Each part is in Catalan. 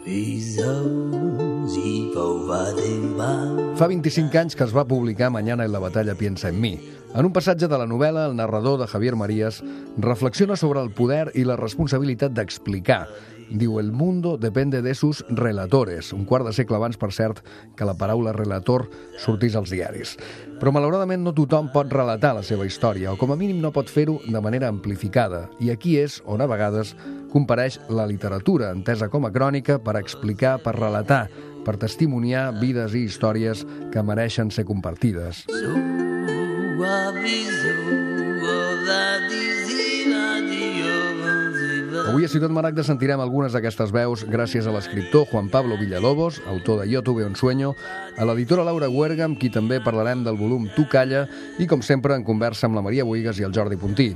Fa 25 anys que es va publicar Mañana en la batalla piensa en mí. En un passatge de la novel·la, el narrador de Javier Marías reflexiona sobre el poder i la responsabilitat d'explicar. Diu, el mundo depende de sus relatores. Un quart de segle abans, per cert, que la paraula relator sortís als diaris. Però, malauradament, no tothom pot relatar la seva història, o com a mínim no pot fer-ho de manera amplificada. I aquí és on, a vegades, compareix la literatura, entesa com a crònica, per explicar, per relatar, per testimoniar vides i històries que mereixen ser compartides. Avui a Ciutat Maragda sentirem algunes d'aquestes veus gràcies a l'escriptor Juan Pablo Villalobos, autor de Yo tuve un sueño, a l'editora Laura Huerga, amb qui també parlarem del volum Tu calla, i com sempre en conversa amb la Maria Bohigas i el Jordi Puntí.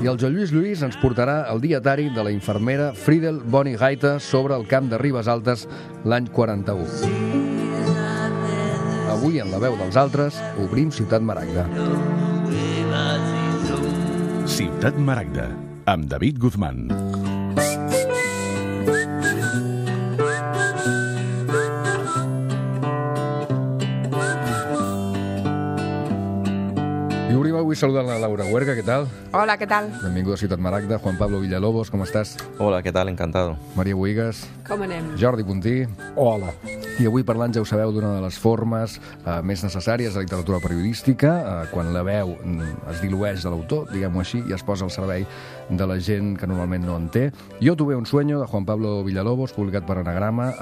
I el Joan Lluís ens portarà el dietari de la infermera Friedel Boni Gaita sobre el camp de Ribes Altes l'any 41. Avui, en la veu dels altres, obrim Ciutat Maragda. Ciutat Maragda, amb David Guzmán. I obrim avui saludant la Laura Huerga, què tal? Hola, ¿qué tal? Benvinguda a Ciutat Maragda. Juan Pablo Villalobos, com estàs? Hola, ¿qué tal? Encantado. Maria Bohigas. Com anem? Jordi Puntí. Hola. I avui parlant, ja ho sabeu, d'una de les formes més necessàries de la literatura periodística, quan la veu es dilueix de l'autor, diguem-ho així, i es posa al servei de la gent que normalment no en té. Yo tuve un sueño, de Juan Pablo Villalobos, publicat per Anagrama,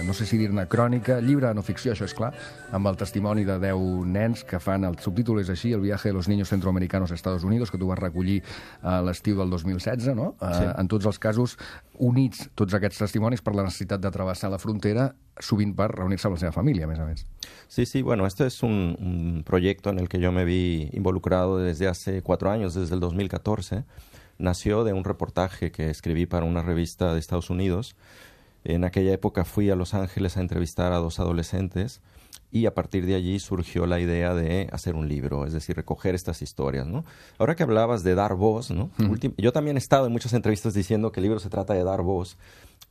no sé si dir-ne crònica, llibre no ficció, això és clar, amb el testimoni de 10 nens que fan, el subtítol és així, El viaje de los niños centroamericanos a Estados Unidos, que tu vas recollir a l'estiu del 2016, no? Sí. En tots els casos, units tots aquests testimonis per la necessitat de travessar la frontera, sovint per reunir-se amb la seva família, a més a més. Sí, bueno, este es un proyecto en el que yo me vi involucrado desde hace 4 años, desde el 2014. Nació de un reportaje que escribí para una revista de Estados Unidos. En aquella época fui a Los Ángeles a entrevistar a 2 adolescentes y a partir de allí surgió la idea de hacer un libro, es decir, recoger estas historias, ¿no? Ahora que hablabas de dar voz, ¿no? Yo también he estado en muchas entrevistas diciendo que el libro se trata de dar voz.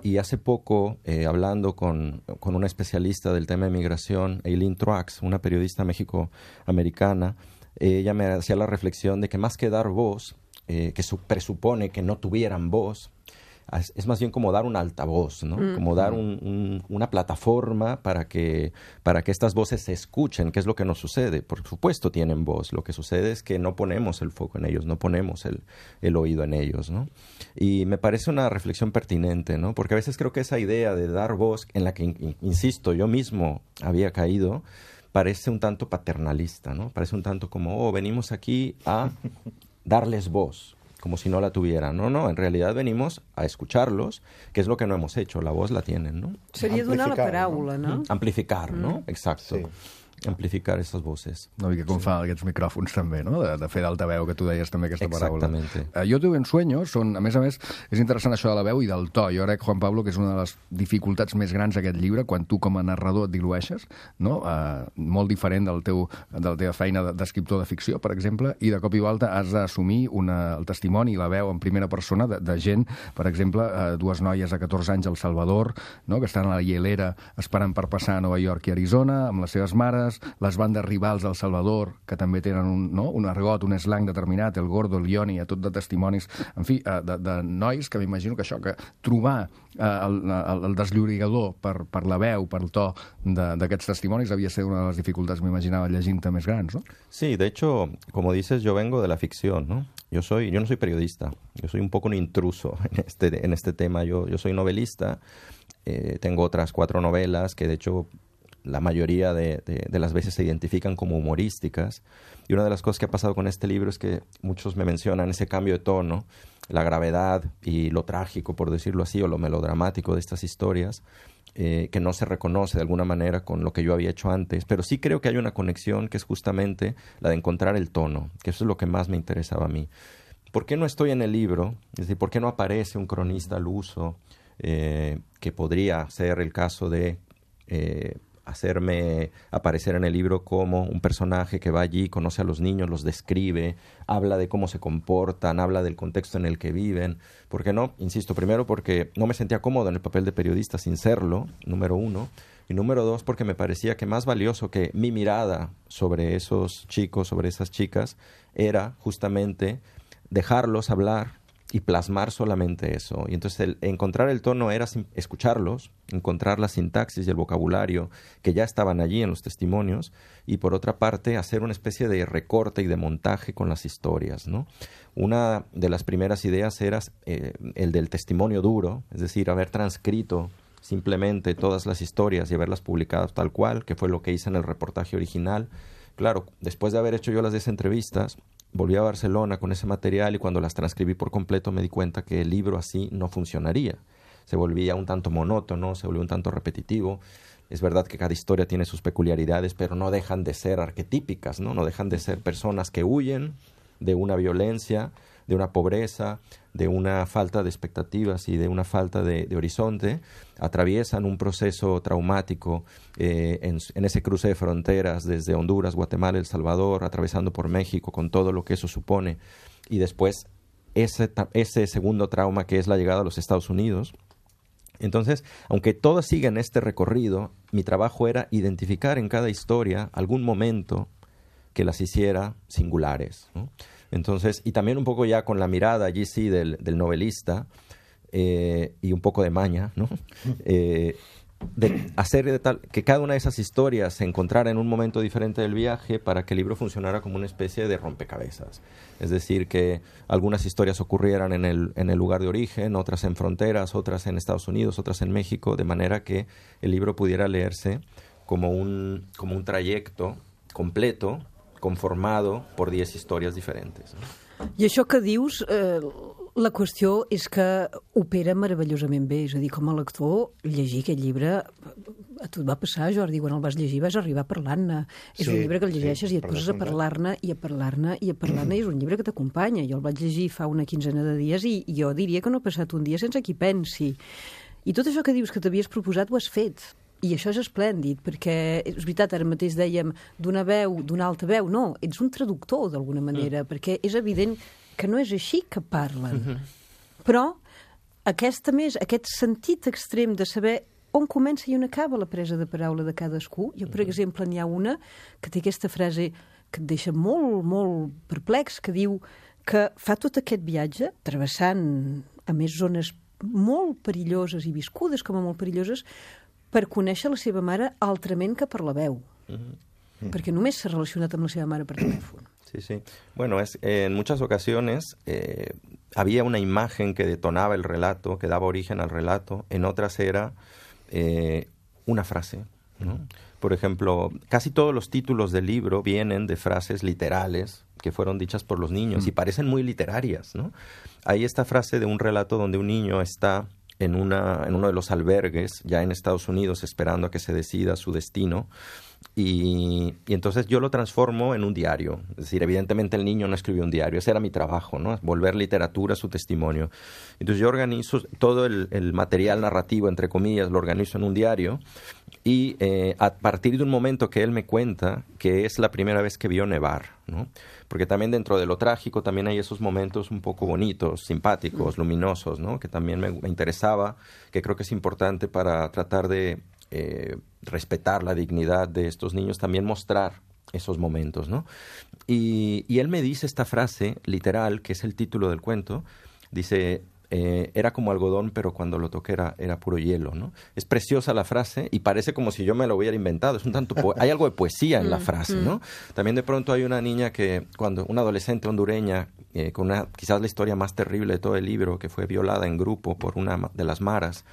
Y hace poco, hablando con una especialista del tema de migración, Eileen Truax, una periodista mexicoamericana, ella me hacía la reflexión de que más que dar voz, que presupone que no tuvieran voz, es más bien como dar un altavoz, ¿no? Como dar una plataforma para que estas voces se escuchen, que es lo que nos sucede. Por supuesto tienen voz, lo que sucede es que no ponemos el foco en ellos, no ponemos el oído en ellos, ¿no? Y me parece una reflexión pertinente, ¿no? Porque a veces creo que esa idea de dar voz, en la que, insisto, yo mismo había caído, parece un tanto paternalista, ¿no? Parece un tanto como, venimos aquí a darles voz, como si no la tuvieran. No, en realidad venimos a escucharlos, que es lo que no hemos hecho. La voz la tienen, ¿no? Seria donar la paraula, no? Amplificar, ¿no? Exacto. Sí. Amplificar estas voces. Una mica com fan aquests micròfons també, no? De fer d'altaveu, que tu deies també aquesta paraula. Exactamente. Yo tuve un sueño, a més, és interessant això de la veu i del to. Jo crec, Juan Pablo, que és una de les dificultats més grans d'aquest llibre, quan tu com a narrador et dilueixes, no? Molt diferent de la teva feina d'escriptor de ficció, per exemple, i de cop i volta has d'assumir el testimoni i la veu en primera persona de gent, per exemple, 2 noies de 14 anys al Salvador, no? Que estan a la hielera esperant per passar a Nova York i Arizona, amb les seves mares, les bandes rivals del Salvador, que també tenen un argot, un slang determinat, el gordo, el ioni, tot de testimonis, en fi, de nois que m'imagino que això, que trobar el desllorigador per la veu, per el to d'aquests testimonis havia ser una de les dificultats, m'imaginava, llegint-te més grans, no? Sí, de hecho, como dices, yo vengo de la ficción, ¿no? Yo no soy periodista, yo soy un poco un intruso en este tema. Yo soy novelista, tengo otras 4 novelas que de hecho la mayoría de las veces se identifican como humorísticas. Y una de las cosas que ha pasado con este libro es que muchos me mencionan ese cambio de tono, la gravedad y lo trágico, por decirlo así, o lo melodramático de estas historias, que no se reconoce de alguna manera con lo que yo había hecho antes. Pero sí creo que hay una conexión que es justamente la de encontrar el tono, que eso es lo que más me interesaba a mí. ¿Por qué no estoy en el libro? Es decir, ¿por qué no aparece un cronista al uso, que podría ser el caso de hacerme aparecer en el libro como un personaje que va allí, conoce a los niños, los describe, habla de cómo se comportan, habla del contexto en el que viven. ¿Por qué no? Insisto, primero porque no me sentía cómodo en el papel de periodista sin serlo, número uno. Y número dos, porque me parecía que más valioso que mi mirada sobre esos chicos, sobre esas chicas, era justamente dejarlos hablar y plasmar solamente eso. Y entonces encontrar el tono era escucharlos, encontrar la sintaxis y el vocabulario que ya estaban allí en los testimonios, y por otra parte hacer una especie de recorte y de montaje con las historias, ¿no? Una de las primeras ideas era el del testimonio duro, es decir, haber transcrito simplemente todas las historias y haberlas publicado tal cual, que fue lo que hice en el reportaje original. Claro, después de haber hecho yo las 10 entrevistas, volví a Barcelona con ese material y cuando las transcribí por completo me di cuenta que el libro así no funcionaría. Se volvía un tanto monótono, se volvía un tanto repetitivo. Es verdad que cada historia tiene sus peculiaridades, pero no dejan de ser arquetípicas, ¿no? No dejan de ser personas que huyen de una violencia, de una pobreza, de una falta de expectativas y de una falta de horizonte, atraviesan un proceso traumático en ese cruce de fronteras desde Honduras, Guatemala, El Salvador, atravesando por México con todo lo que eso supone, y después ese segundo trauma que es la llegada a los Estados Unidos. Entonces, aunque todas siguen este recorrido, mi trabajo era identificar en cada historia algún momento que las hiciera singulares, ¿no? Entonces, y también un poco ya con la mirada allí sí del novelista y un poco de maña, ¿no? De hacer de tal que cada una de esas historias se encontrara en un momento diferente del viaje para que el libro funcionara como una especie de rompecabezas. Es decir, que algunas historias ocurrieran en el lugar de origen, otras en fronteras, otras en Estados Unidos, otras en México, de manera que el libro pudiera leerse como un trayecto completo, conformado por 10 històries diferents. I això que dius, la qüestió és que opera meravellosament bé. És a dir, com a lector, llegir aquest llibre, a tu et va passar, Jordi, quan el vas llegir vas arribar parlant-ne. És un llibre que el llegeixes i et poses a parlar-ne i a parlar-ne i a parlar-ne, i és un llibre que t'acompanya. Jo el vaig llegir fa una quinzena de dies i jo diria que no ha passat un dia sense qui pensi. I tot això que dius que t'havies proposat ho has fet. I això és esplèndid, perquè és veritat, ara mateix dèiem d'una veu, d'una alta veu, no, ets un traductor d'alguna manera, perquè és evident que no és així que parlen. Però aquest sentit extrem de saber on comença i on acaba la presa de paraula de cadascú. Jo, per exemple, n'hi ha una que té aquesta frase que et deixa molt, molt perplex, que diu que fa tot aquest viatge, travessant a més zones molt perilloses i viscudes com a molt perilloses, per conèixer la seva mare altrament que per la veu. Porque només s'ha relacionat amb la seva mare per telèfon. Sí, sí. Bueno, en muchas ocasiones había una imagen que detonaba el relato, que daba origen al relato. En otras era una frase, ¿no? Por ejemplo, casi todos los títulos del libro vienen de frases literales que fueron dichas por los niños y parecen muy literarias, ¿no? Hay esta frase de un relato donde un niño está en uno de los albergues, ya en Estados Unidos, esperando a que se decida su destino. Y entonces yo lo transformo en un diario. Es decir, evidentemente el niño no escribió un diario. Ese era mi trabajo, ¿no? Volver literatura a su testimonio. Entonces yo organizo todo el material narrativo, entre comillas, lo organizo en un diario. Y a partir de un momento que él me cuenta que es la primera vez que vio nevar, ¿no? Porque también dentro de lo trágico también hay esos momentos un poco bonitos, simpáticos, luminosos, ¿no? Que también me interesaba, que creo que es importante para tratar de respetar la dignidad de estos niños, también mostrar esos momentos, ¿no? Y él me dice esta frase literal, que es el título del cuento, dice... era como algodón, pero cuando lo toqué era puro hielo, ¿no? Es preciosa la frase y parece como si yo me lo hubiera inventado. Es un tanto hay algo de poesía en la frase, ¿no? También de pronto hay una niña una adolescente hondureña, con quizás la historia más terrible de todo el libro, que fue violada en grupo por una de las maras.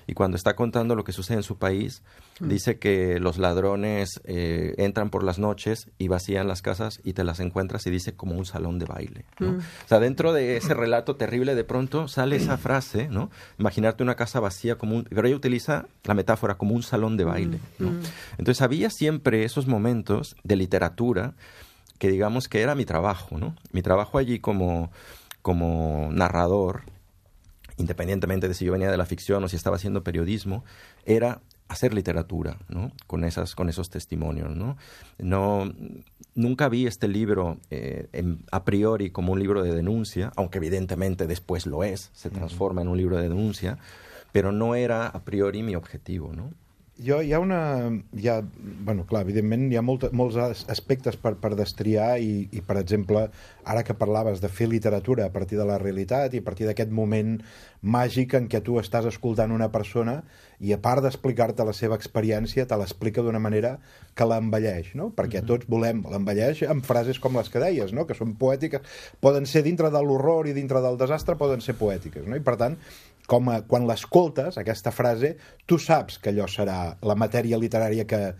Y cuando está contando lo que sucede en su país, dice que los ladrones entran por las noches y vacían las casas y te las encuentras y dice como un salón de baile, ¿no? O sea, dentro de ese relato terrible de pronto sale esa frase, ¿no? Imaginarte una casa vacía pero ella utiliza la metáfora como un salón de baile, ¿no? Entonces había siempre esos momentos de literatura que digamos que era mi trabajo, ¿no? Mi trabajo allí como narrador, independientemente de si yo venía de la ficción o si estaba haciendo periodismo, era hacer literatura, ¿no? Con esos testimonios, ¿no? Nunca vi este libro a priori como un libro de denuncia, aunque evidentemente después lo es, se transforma en un libro de denuncia, però no era a priori mi objectiu, no? Bueno, clar, evidentment hi ha molts aspectes per destriar i, per exemple, ara que parlaves de fer literatura a partir de la realitat i a partir d'aquest moment màgic en què tu estàs escoltant una persona i a part d'explicar-te la seva experiència te l'explica d'una manera que l'embelleix, no? Perquè tots volem l'embelleix amb frases com les que deies, no? Que són poètiques, poden ser dintre de l'horror i dintre del desastre, poden ser poètiques, no? I per tant, quan l'escoltes, aquesta frase, tu saps que allò serà la matèria literària que,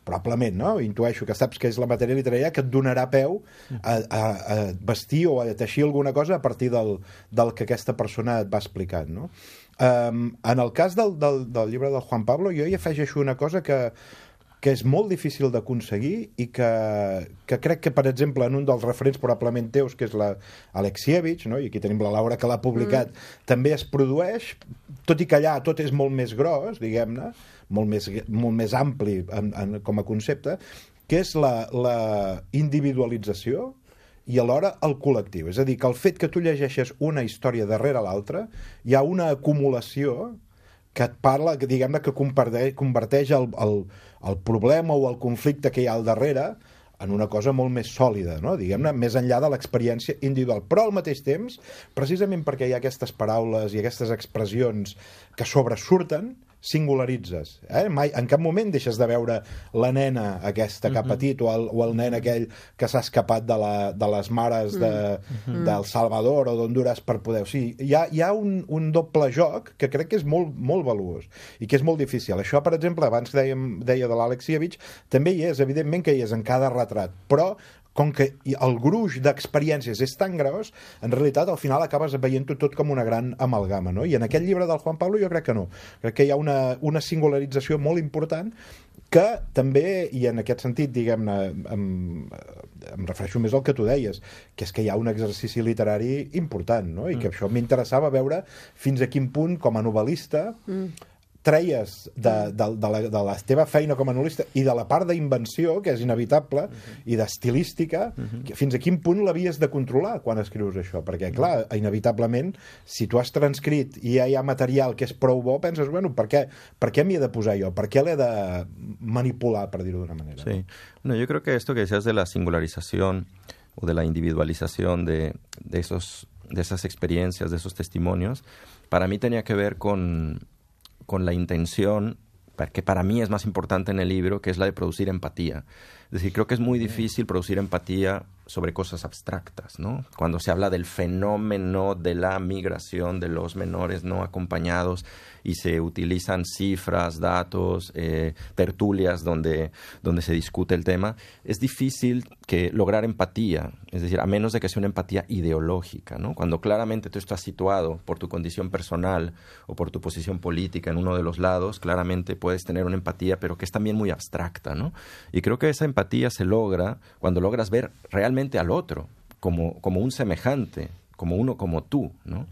probablement, no? Intueixo que saps que és la matèria literària que et donarà peu a vestir o a teixir alguna cosa a partir del que aquesta persona et va explicant, no? En el cas del llibre del Juan Pablo, jo hi afegeixo una cosa que és molt difícil d'aconseguir i que crec que, per exemple, en un dels referents probablement teus, que és l'Alexievich, no? I aquí tenim la Laura que l'ha publicat, també es produeix, tot i que allà tot és molt més gros, diguem-ne, molt més ampli com a concepte, que és la individualització i alhora el col·lectiu. És a dir, que el fet que tu llegeixes una història darrere l'altra, hi ha una acumulació que et parla, diguem-ne, que converteix el problema o el conflicte que hi ha al darrere en una cosa molt més sòlida, no? Diguem-ne, més enllà de l'experiència individual. Però al mateix temps, precisament perquè hi ha aquestes paraules i aquestes expressions que sobresurten, singularitzes. Mai, en cap moment deixes de veure la nena aquesta que ha patit o el nen aquell que s'ha escapat de les mares del Salvador o d'Honduras per poder... O sigui, hi ha un doble joc que crec que és molt, molt valuós i que és molt difícil. Això, per exemple, abans deia de l'Alexievich, també hi és, evidentment que hi és en cada retrat, però com que el gruix d'experiències és tan gros, en realitat al final acabes veient-ho tot com una gran amalgama, no? I en aquest llibre del Juan Pablo jo crec que no. Crec que hi ha una singularització molt important que també, i en aquest sentit, diguem-ne, em refereixo més al que tu deies, que és que hi ha un exercici literari important, no? I que això m'interessava veure fins a quin punt, com a novel·lista, treies de la teva feina com a novel·lista i de la part d'invenció, que és inevitable, i d'estilística, fins a quin punt l'havies de controlar quan escrius això? Perquè, clar, inevitablement, si tu has transcrit i ja hi ha material que és prou bo, penses, bueno, per què m'hi he de posar jo? Per què l'he de manipular, per dir-ho d'una manera? Sí. No, yo creo que esto que decías de la singularización o de la individualización de esas experiencias, de esos testimonios, para mí tenía que ver con la intención, que para mí es más importante en el libro, que es la de producir empatía. Es decir, creo que es muy difícil producir empatía sobre cosas abstractas, ¿no? Cuando se habla del fenómeno de la migración de los menores no acompañados y se utilizan cifras, datos, tertulias donde se discute el tema, es difícil lograr empatía, es decir, a menos de que sea una empatía ideológica, ¿no? Cuando claramente tú estás situado por tu condición personal o por tu posición política en uno de los lados, claramente puedes tener una empatía, pero que es también muy abstracta, ¿no? Y creo que esa empatía se logra cuando logras ver realmente al otro como un semejante, como uno como tú, ¿no?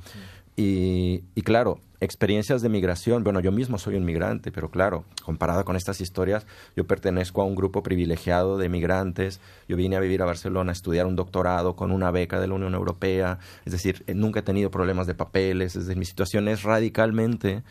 Y claro, experiencias de migración, bueno, yo mismo soy un migrante, pero claro, comparado con estas historias, yo pertenezco a un grupo privilegiado de migrantes, yo vine a vivir a Barcelona a estudiar un doctorado con una beca de la Unión Europea, es decir, nunca he tenido problemas de papeles, es decir, mi situación es radicalmente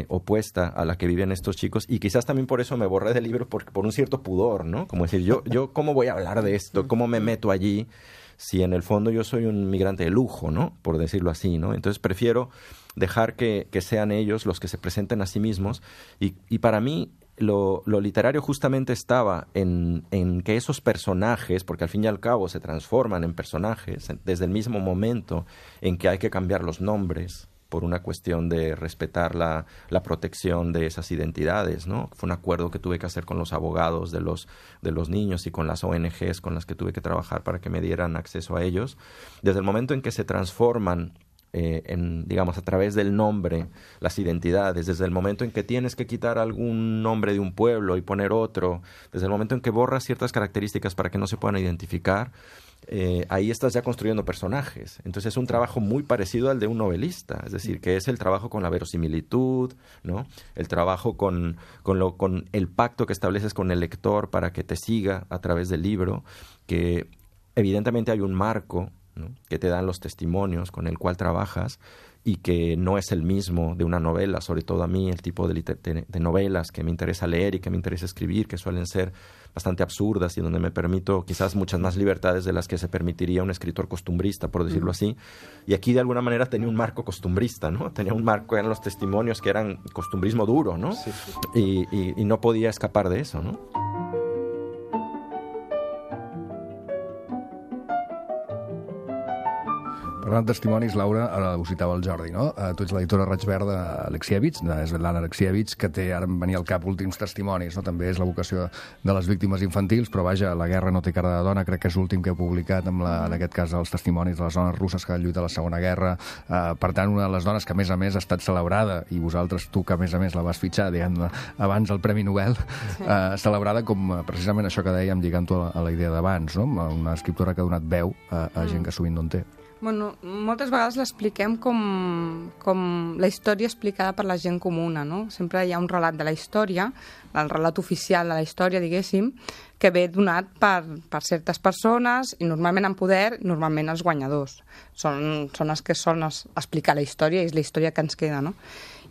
opuesta a la que viven estos chicos, y quizás también por eso me borré del libro por un cierto pudor, ¿no? Como decir, yo ¿cómo voy a hablar de esto? ¿Cómo me meto allí? Si en el fondo yo soy un migrante de lujo, ¿no? Por decirlo así, ¿no? Entonces prefiero dejar que sean ellos los que se presenten a sí mismos. Y para mí lo literario justamente estaba en que esos personajes, porque al fin y al cabo se transforman en personajes, desde el mismo momento en que hay que cambiar los nombres por una cuestión de respetar la protección de esas identidades, ¿no? Fue un acuerdo que tuve que hacer con los abogados de los niños y con las ONGs con las que tuve que trabajar para que me dieran acceso a ellos. Desde el momento en que se transforman digamos, a través del nombre, las identidades, desde el momento en que tienes que quitar algún nombre de un pueblo y poner otro, desde el momento en que borras ciertas características para que no se puedan identificar, ahí estás ya construyendo personajes. Entonces es un trabajo muy parecido al de un novelista, es decir, que es el trabajo con la verosimilitud, ¿no? El trabajo con el pacto que estableces con el lector para que te siga a través del libro, que evidentemente hay un marco, ¿no?, que te dan los testimonios con el cual trabajas y que no es el mismo de una novela, sobre todo a mí, el tipo de novelas que me interesa leer y que me interesa escribir, que suelen ser bastante absurdas y donde me permito quizás muchas más libertades de las que se permitiría un escritor costumbrista, por decirlo así. Y aquí de alguna manera tenía un marco costumbrista, ¿no? Tenía un marco, eran los testimonios que eran costumbrismo duro, ¿no? Sí. Y no podía escapar de eso, ¿no? Parlant de testimonis, Laura, ara ho citava el Jordi, no? Tu ets l'editora Raig Verd d'Alexievich, de Svetlana Alexievich, que té, ara em venia al cap, últims testimonis, no? També és la vocació de les víctimes infantils, però vaja, La guerra no té cara de dona, crec que és l'últim que he publicat, en aquest cas els testimonis de les dones russes que van lluitar a la Segona Guerra. Per tant, una de les dones que, a més, ha estat celebrada, i vosaltres, tu, que a més la vas fitxar, diguem-ne, abans del Premi Nobel, celebrada com precisament això que dèiem, lligant-ho a la idea d'abans, no? Una escriptora que ha donat veu a gent que sovint no en té. Bueno, moltes vegades l'expliquem com la història explicada per la gent comuna, no? Sempre hi ha un relat de la història, el relat oficial de la història, diguéssim, que ve donat per certes persones i normalment en poder, normalment els guanyadors. Són els que solen explicar la història i és la història que ens queda, no?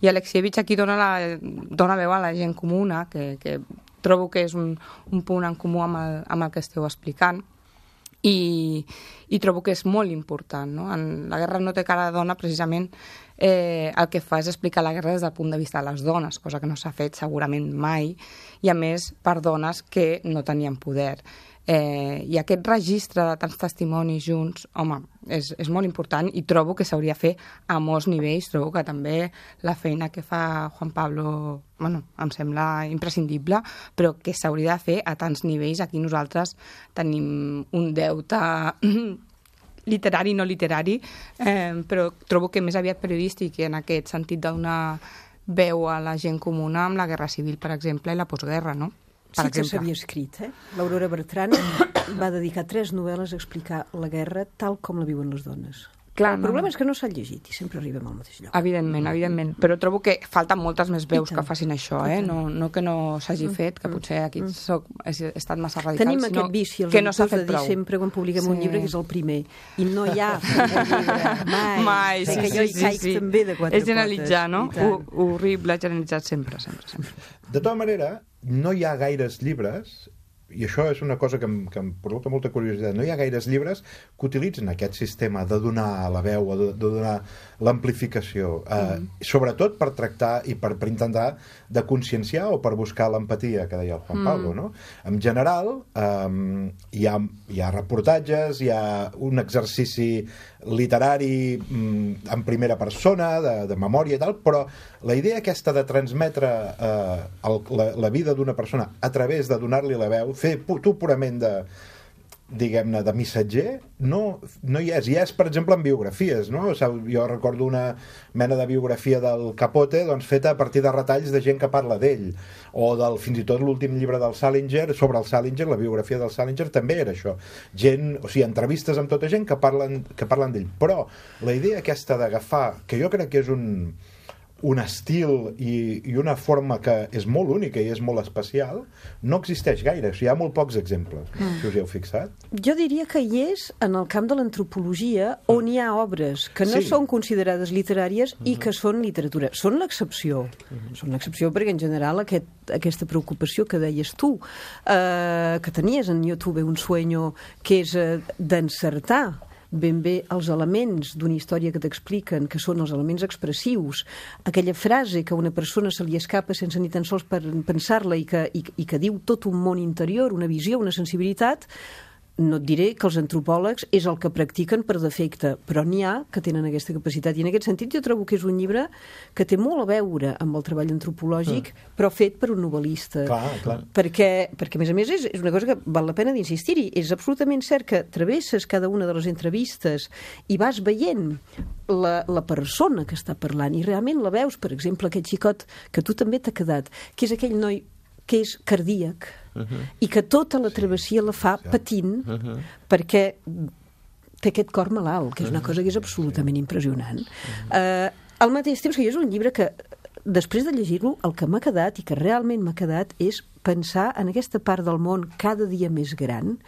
I Alexievich aquí dona veu a la gent comuna, que trobo que és un punt en comú amb el que esteu explicant. I trobo que és molt important, no? En La guerra no té cara de dona, precisament, el que fa és explicar la guerra des del punt de vista de les dones, cosa que no s'ha fet segurament mai, i a més per dones que no tenien poder. I aquest registre de tants testimonis junts, home, és molt important i trobo que s'hauria de fer a molts nivells. Trobo que també la feina que fa Juan Pablo, bueno, em sembla imprescindible, però que s'hauria de fer a tants nivells. Aquí nosaltres tenim un deute literari i no literari, però trobo que més aviat periodístic, i en aquest sentit de donar veu a la gent comuna amb la Guerra Civil, per exemple, i la postguerra, no? Sí que s'havia escrit, L'Aurora Bertran va dedicar 3 novel·les a explicar la guerra tal com la viuen les dones. Clar, el problema és que no s'han llegit i sempre arribem al mateix lloc. Evidentment, però trobo que falten moltes més veus que facin això, no que no s'hagi fet, que potser aquí he estat massa radical. Tenim aquest vici, els editors, de dir sempre quan publiquem un llibre que és el primer, i no hi ha mai. Sí. Que jo hi caic també de 4 potes. És generalitzar, no? Horrible, generalitzar sempre. De tota manera, no hi ha gaires llibres, i això és una cosa que em provoca molta curiositat, no hi ha gaires llibres que utilitzen aquest sistema de donar la veu, de donar l'amplificació, sobretot per tractar i per intentar de conscienciar o per buscar l'empatia que deia el Juan Pablo, no? En general, hi ha reportatges, hi ha un exercici literari en primera persona, de memòria i tal, però la idea aquesta de transmetre la vida d'una persona a través de donar-li la veu, fer tu purament diguem-ne, de missatger, no hi és. Hi és, per exemple, en biografies, no? Jo recordo una mena de biografia del Capote, doncs, feta a partir de retalls de gent que parla d'ell, o fins i tot l'últim llibre del Salinger, sobre el Salinger, la biografia del Salinger, també era això. Entrevistes amb tota gent que parlen d'ell. Però la idea aquesta d'agafar, que jo crec que és un estil i una forma que és molt única i és molt especial, no existeix gaire. Hi ha molt pocs exemples, si us hi heu fixat. Jo diria que hi és en el camp de l'antropologia, on hi ha obres que no són considerades literàries i que són literatura. Són l'excepció. Són l'excepció perquè, en general, aquesta preocupació que deies tu, que tenies en YouTube un sueño, que és d'encertar ben bé els elements d'una història que t'expliquen, que són els elements expressius, aquella frase que a una persona se li escapa sense ni tan sols pensar-la i que diu tot un món interior, una visió, una sensibilitat. No et diré que els antropòlegs és el que practiquen per defecte, però n'hi ha que tenen aquesta capacitat. I en aquest sentit jo trobo que és un llibre que té molt a veure amb el treball antropològic, però fet per un novel·lista. Clar. Perquè a més, és una cosa que val la pena d'insistir-hi. És absolutament cert que travesses cada una de les entrevistes i vas veient la persona que està parlant i realment la veus, per exemple, aquest xicot que tu també t'ha quedat, que és aquell noi que és cardíac i que tota la travessia la fa patint perquè té aquest cor malalt, que és una cosa que és absolutament impressionant. Al mateix temps que és un llibre que després de llegir-lo, el que m'ha quedat i que realment m'ha quedat és pensar en aquesta part del món cada dia més gran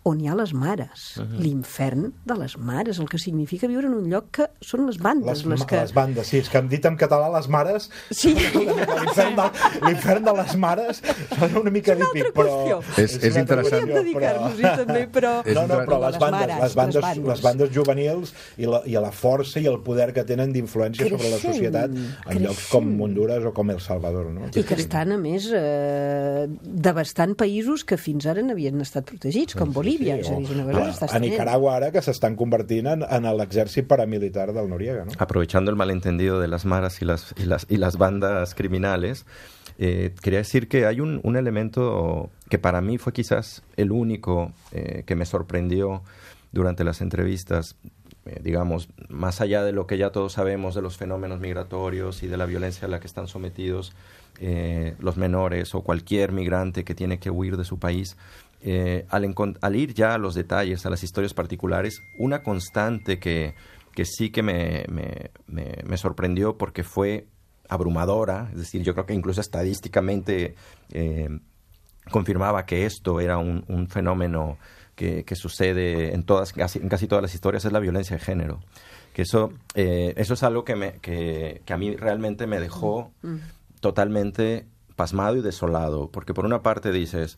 on hi ha les mares, l'infern de les mares, el que significa viure en un lloc que són les bandes. Les bandes, sí, és que hem dit en català les mares, sí. L'infern de les mares sona una mica típic, però... És interessant. Podríem dedicar-nos-hi també, però... però les bandes juvenils i la força i el poder que tenen d'influència sobre la societat en llocs com Honduras o com El Salvador, no? I que estan, a més, devastant països que fins ara n'havien estat protegits, com Bolívia. És a dir, una cosa s'està a Nicaragua ara que s'estan convertint en l'exèrcit paramilitar del Noriega, ¿no? Aprovechando el malentendido de las maras y las bandas criminales, quería decir que hay un elemento que para mí fue quizás el único que me sorprendió durante las entrevistas, digamos, más allá de lo que ya todos sabemos de los fenómenos migratorios y de la violencia a la que están sometidos los menores o cualquier migrante que tiene que huir de su país, al ir ya a los detalles, a las historias particulares, una constante que sí que me sorprendió porque fue abrumadora, es decir, yo creo que incluso estadísticamente confirmaba que esto era un fenómeno que sucede en casi todas las historias, es la violencia de género. Que eso es algo que a mí realmente me dejó totalmente pasmado y desolado, porque por una parte dices,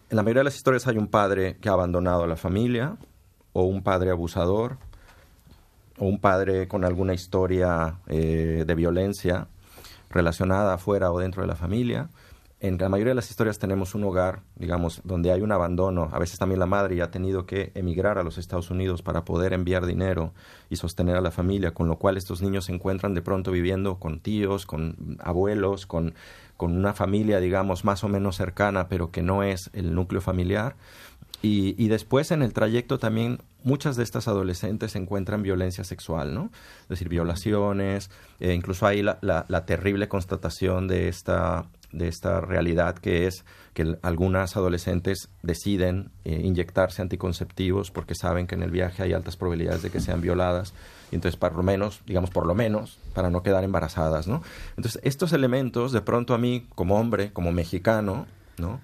en la mayoría de las historias hay un padre que ha abandonado a la familia, o un padre abusador, o un padre con alguna historia de violencia relacionada fuera o dentro de la familia. En la mayoría de las historias tenemos un hogar, digamos, donde hay un abandono. A veces también la madre ya ha tenido que emigrar a los Estados Unidos para poder enviar dinero y sostener a la familia, con lo cual estos niños se encuentran de pronto viviendo con tíos, con abuelos, con una familia, digamos, más o menos cercana, pero que no es el núcleo familiar. Y después en el trayecto también muchas de estas adolescentes encuentran violencia sexual, ¿no? Es decir, violaciones, incluso hay la terrible constatación de esta realidad que es que algunas adolescentes deciden inyectarse anticonceptivos porque saben que en el viaje hay altas probabilidades de que sean violadas y entonces por lo menos para no quedar embarazadas, ¿no? Entonces estos elementos de pronto a mí como hombre, como mexicano, ¿no?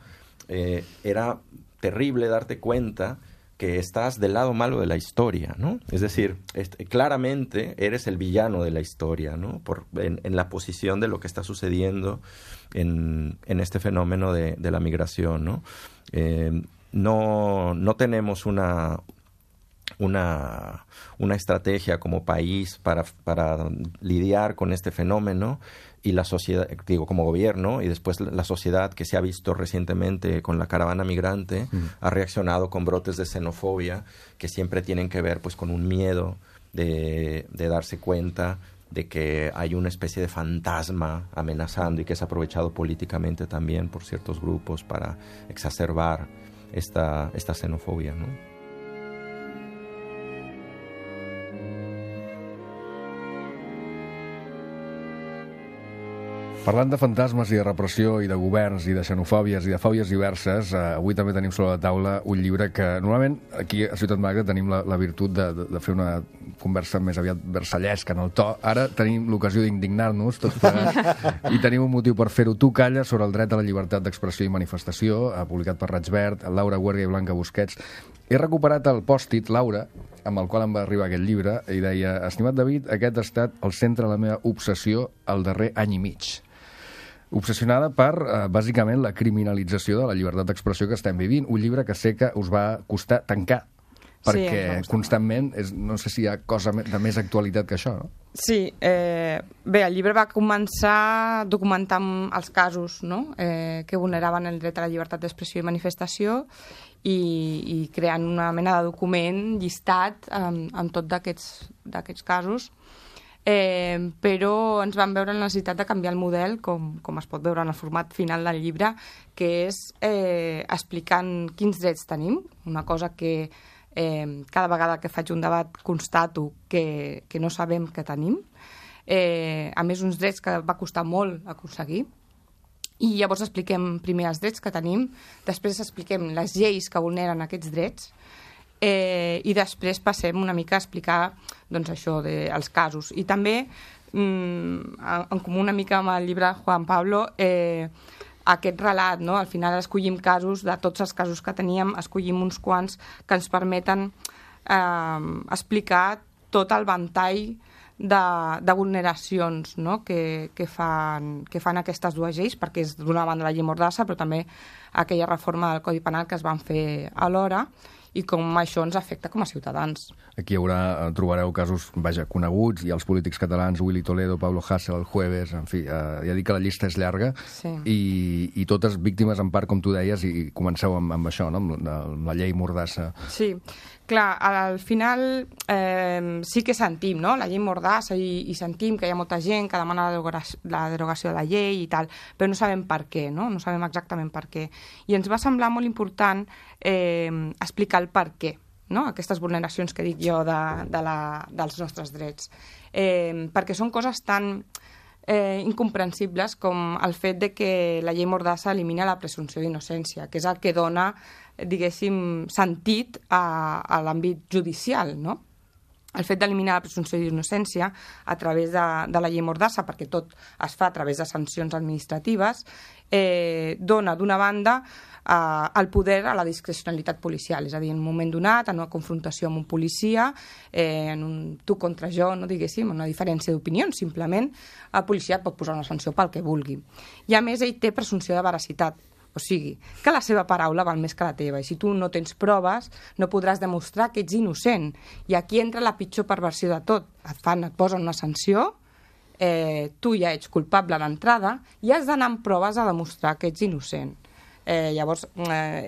Era terrible darte cuenta que estás del lado malo de la historia, ¿no? Es decir, claramente eres el villano de la historia, ¿no? En la posición de lo que está sucediendo en este fenómeno de la migración, ¿no? No tenemos una estrategia como país para lidiar con este fenómeno, y la sociedad, digo, como gobierno, y después la sociedad que se ha visto recientemente con la caravana migrante, ha reaccionado con brotes de xenofobia que siempre tienen que ver pues con un miedo de darse cuenta de que hay una especie de fantasma amenazando y que es aprovechado políticamente también por ciertos grupos para exacerbar esta xenofobia, ¿no? Parlant de fantasmes i de repressió i de governs i de xenofòbies i de fòbies diverses, avui també tenim sobre la taula un llibre que normalment aquí a Ciutat Magra tenim la virtut de fer una conversa més aviat versallesca en el to. Ara tenim l'ocasió d'indignar-nos tots plegats i tenim un motiu per fer-ho. Tu calles sobre el dret a la llibertat d'expressió i manifestació, publicat per Raig Verd, Laura Huerga i Blanca Busquets. He recuperat el pòstit, Laura, amb el qual em va arribar aquest llibre, i deia: estimat David, aquest ha estat el centre de la meva obsessió el darrer any i mig. Obsessionada per, bàsicament, la criminalització de la llibertat d'expressió que estem vivint. Un llibre que sé que us va costar tancar, perquè constantment, no sé si hi ha cosa de més actualitat que això, no? Sí, bé, el llibre va començar documentant els casos, no?, que vulneraven el dret a la llibertat d'expressió i manifestació, i creant una mena de document llistat amb tot d'aquests casos. Però ens vam veure la necessitat de canviar el model, com es pot veure en el format final del llibre, que és explicant quins drets tenim, una cosa que cada vegada que faig un debat constato que no sabem que tenim, a més uns drets que va costar molt aconseguir, I llavors expliquem primer els drets que tenim, després expliquem les lleis que vulneren aquests drets, i després passem una mica a explicar doncs, això dels casos. I també, en comú una mica amb el llibre de Juan Pablo, aquest relat, no? Al final escollim casos, de tots els casos que teníem, escollim uns quants que ens permeten explicar tot el ventall de vulneracions, no? que fan aquestes dues lleis, perquè és d'una banda la llei Mordassa, però també aquella reforma del Codi Penal que es van fer alhora, i com això ens afecta com a ciutadans. Aquí trobareu casos, coneguts, i els polítics catalans, Willy Toledo, Pablo Hasél, el Jueves, en fi, ja dic que la llista és llarga, sí. I totes víctimes, en part, com tu deies, i comenceu amb això, no? amb la llei Mordassa. Sí, clar, al final sí que sentim, no?, la llei Mordassa, i sentim que hi ha molta gent que demana la derogació de la llei i tal, però no sabem per què, no? No sabem exactament per què. I ens va semblar molt important explicar el per què, no? Aquestes vulneracions que dic jo dels nostres drets. Perquè són coses tan incomprensibles com el fet de que la llei Mordassa elimina la presumpció d'innocència, que és el que dona, diguéssim, sentit a l'àmbit judicial, no? El fet d'eliminar la presumpció d'innocència a través de la llei Mordassa, perquè tot es fa a través de sancions administratives, dona, d'una banda, el poder a la discrecionalitat policial, és a dir, en un moment donat, en una confrontació amb un policia, en un tu contra jo, no diguéssim, una diferència d'opinions, simplement, el policia pot posar una sanció pel que vulgui. I a més, ell té presumpció de veracitat, o sigui, que la seva paraula val més que la teva, i si tu no tens proves, no podràs demostrar que ets innocent. I aquí entra la pitjor perversió de tot. Et posen una sanció, tu ja ets culpable a l'entrada, i has d'anar amb proves a demostrar que ets innocent. Llavors,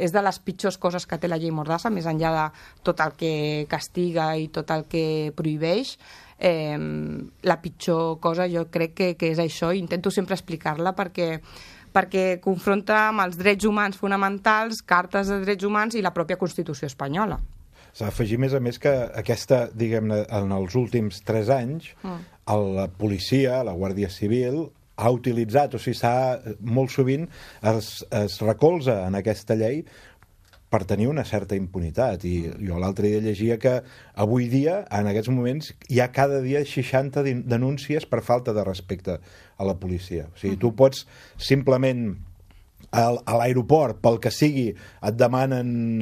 és de les pitjors coses que té la llei Mordassa, més enllà de tot el que castiga i tot el que prohibeix. La pitjor cosa jo crec que és això, i intento sempre explicar-la perquè confronta amb els drets humans fonamentals, cartes de drets humans i la pròpia Constitució espanyola. S'ha d'afegir, més a més, que aquesta, diguem-ne, en els últims 3 anys, la policia, la Guàrdia Civil, ha utilitzat, o sigui, molt sovint es recolza en aquesta llei per tenir una certa impunitat. I jo l'altre dia llegia que avui dia, en aquests moments, hi ha cada dia 60 denúncies per falta de respecte a la policia. O sigui, tu pots simplement a l'aeroport, pel que sigui, et demanen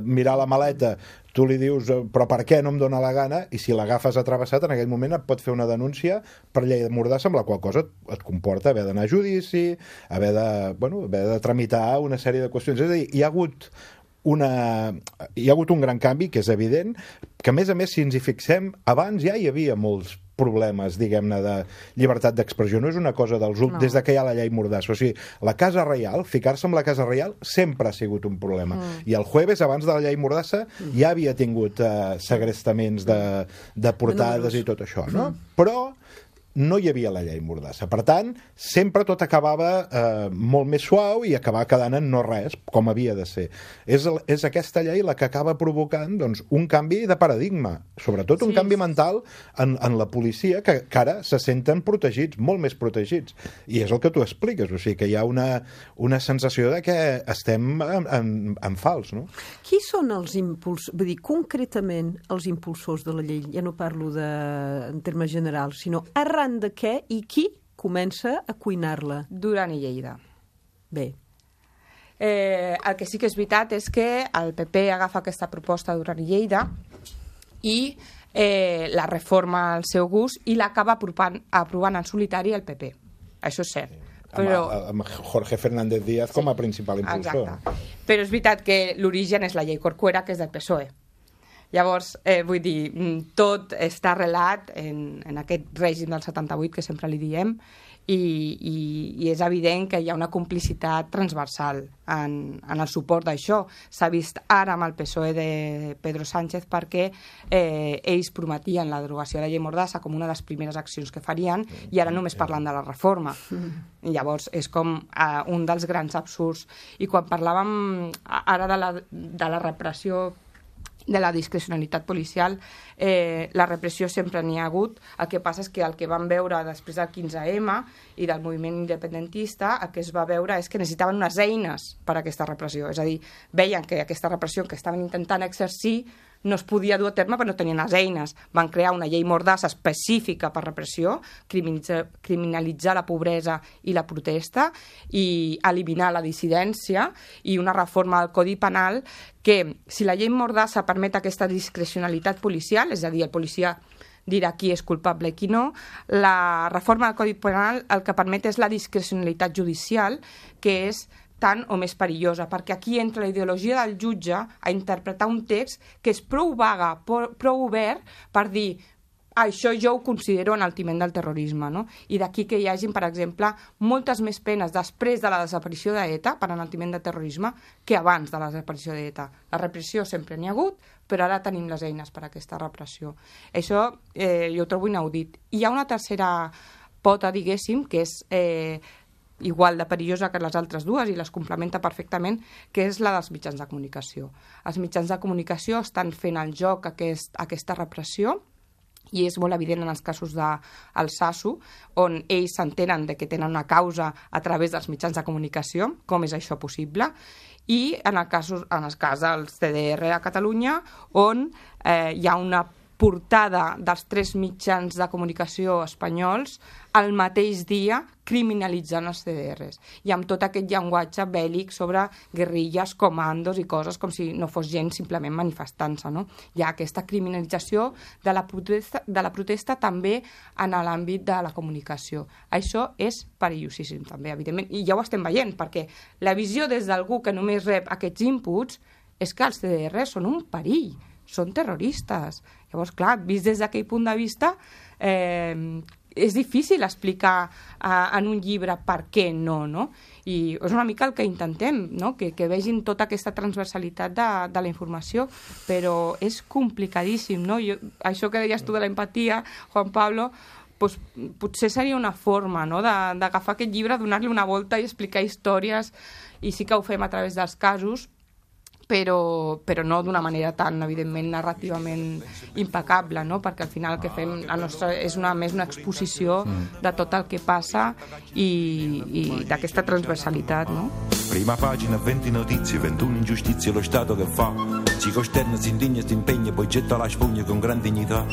mirar la maleta, tu li dius, però per què no em dóna la gana? I si l'agafes atravessat, en aquell moment et pot fer una denúncia per llei de Mordassa, amb la qual cosa et comporta haver d'anar a judici, haver de tramitar una sèrie de qüestions. És a dir, hi ha hagut un gran canvi, que és evident, que a més, si ens hi fixem, abans ja hi havia molts problemes, diguem-ne, de llibertat d'expressió. No és una cosa des de que hi ha la llei Mordassa. O sigui, la Casa Reial, ficar-se amb la Casa Reial sempre ha sigut un problema. I el Jueves, abans de la llei Mordassa, ja havia tingut segrestaments de portades i tot això, no? Però no hi havia la llei Mordassa. Per tant, sempre tot acabava molt més suau i acabava quedant en no res, com havia de ser. És aquesta llei la que acaba provocant un canvi de paradigma, sobretot un canvi mental en la policia, que ara se senten protegits, molt més protegits. I és el que tu expliques, o sigui que hi ha una sensació de que estem en fals, no? Qui són els impulsors, vull dir, concretament els impulsors de la llei? Ja no parlo en termes generals, sinó arran de què i qui comença a cuinar-la? Duran i Lleida. Bé. El que sí que és veritat és que el PP agafa aquesta proposta de Duran i Lleida i la reforma al seu gust i l'acaba aprovant en solitari el PP. Això és cert. Però... amb Jorge Fernández Díaz com a principal impulsor. Exacte. Però és veritat que l'origen és la llei Corcuera, que és del PSOE. Llavors, vull dir, tot està arrelat en aquest règim del 78, que sempre li diem, i és evident que hi ha una complicitat transversal en el suport d'això. S'ha vist ara amb el PSOE de Pedro Sánchez perquè ells prometien la derogació de la llei Mordassa com una de les primeres accions que farien i ara només parlen de la reforma. I llavors és com un dels grans absurds. I quan parlàvem ara de la repressió de la discrecionalitat policial. La repressió sempre n'hi ha hagut. El que passa és que el que vam veure després del 15M i del moviment independentista, el que es va veure és que necessitaven unes eines per a aquesta repressió. És a dir, veien que aquesta repressió que estaven intentant exercir no es podia dur a terme perquè no tenien les eines. Van crear una llei mordassa específica per repressió, criminalitzar la pobresa i la protesta i eliminar la dissidència i una reforma del Codi Penal que, si la llei mordassa permet aquesta discrecionalitat policial, és a dir, el policia dirà qui és culpable i qui no, la reforma del Codi Penal el que permet és la discrecionalitat judicial, que és tant o més perillosa, perquè aquí entra la ideologia del jutge a interpretar un text que és prou vaga, prou obert per dir això jo ho considero enaltiment del terrorisme, no? I d'aquí que hi hagin, per exemple, moltes més penes després de la desaparició d'ETA per enaltiment de terrorisme que abans de la desaparició d'ETA. La repressió sempre n'hi ha hagut, però ara tenim les eines per a aquesta repressió. Això jo ho trobo inaudit. I hi ha una tercera pota, diguéssim, que és igual de perillosa que les altres dues i les complementa perfectament, que és la dels mitjans de comunicació. Els mitjans de comunicació estan fent el joc aquesta repressió i és molt evident en els casos del SASU, on ells s'entenen de que tenen una causa a través dels mitjans de comunicació, com és això possible, i en el cas del CDR a Catalunya, on hi ha una portada dels 3 mitjans de comunicació espanyols el mateix dia criminalitzant els CDRs i amb tot aquest llenguatge bèl·lic sobre guerrilles, comandos i coses com si no fos gent simplement manifestant-se, no? Hi ha aquesta criminalització de la protesta també en l'àmbit de la comunicació. Això és perillosíssim també, evidentment, i ja ho estem veient, perquè la visió des d'algú que només rep aquests inputs és que els CDRs són un perill, són terroristes. Llavors, clar, vist des d'aquell punt de vista, és difícil explicar en un llibre per què no? I és una mica el que intentem, no? Que vegin tota aquesta transversalitat de la informació, però és complicadíssim, no? Això que deies tu de la empatia, Juan Pablo, doncs, potser seria una forma, no? D'agafar aquest llibre, donar-li una volta i explicar històries, i sí que ho fem a través dels casos, però no d'una manera tan, evidentment, narrativament impecable, no? Perquè al final el que fem és més una exposició de tot el que passa i d'aquesta transversalitat, no? Prima pagina, 20 notizie, 21 ingiustizie, lo Stato che fa si costerna, si indigna, si impegna, poi getta la spugna con gran dignità.